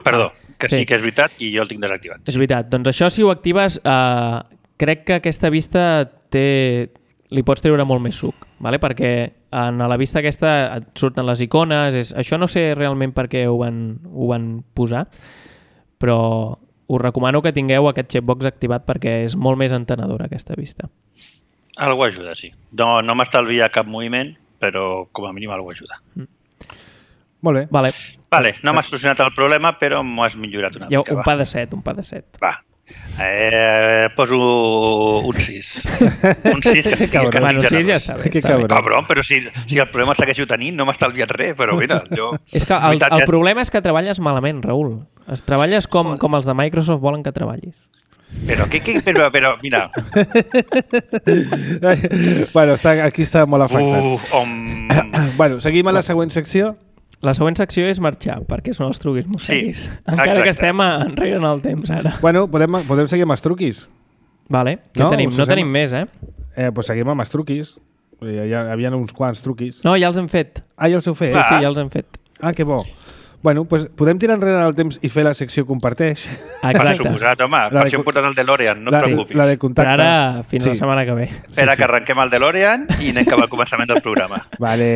Perdó, que sí, sí que és veritat i jo el tinc desactivat. És veritat. Doncs això, si ho actives, eh, crec que aquesta vista té... li pots treure molt més suc, vale? Perquè en la vista aquesta et surten les icones, és... això no sé realment per què ho van, ho van posar, però us recomano que tingueu aquest checkbox activat perquè és molt més entenedora aquesta vista. Algo ajuda, sí. No, no m'estalvia cap moviment, però com a mínim algo ajuda. Mm. Molt bé. Vale, vale no m'has solucionat el problema, però m'ho has millorat una mica. Un va. pa de set, un pa de set. Va. Eh, poso un sis. Un sis que, que, que bueno, sis ja està bé. Que està bé. Cabron, però si, si el problema segueixo tenint, no m'ha estalviat res, però mira, jo... És que el, el problema és que treballes malament, Raül. Es treballes com, com els de Microsoft volen que treballis. Però, què, què, però, però, mira... bueno, està, aquí està molt afectat. Uh, um... bueno, seguim a la següent secció. La següent secció és marxar, perquè són els truquis mosseguis. Sí, encara exacte. que estem enrere en el temps, ara. Bueno, podem, podem seguir amb els truquis. Vale, què no, tenim? No tenim més, eh? Eh, doncs seguim amb els truquis. Hi, hi havia uns quants truquis. No, ja els hem fet. Ah, ja els heu fet? Sí, sí, ja els hem fet. Ah, que bo. Bueno, pues podem tirar enrere el temps i fer la secció comparteix? Per suposat, home. Per això hem portat el DeLorean, no et preocupis. La de contacte. Per ara, fins sí. la setmana que ve. Espera sí, sí. que arrenquem el DeLorean i anem cap al començament del programa. Vale.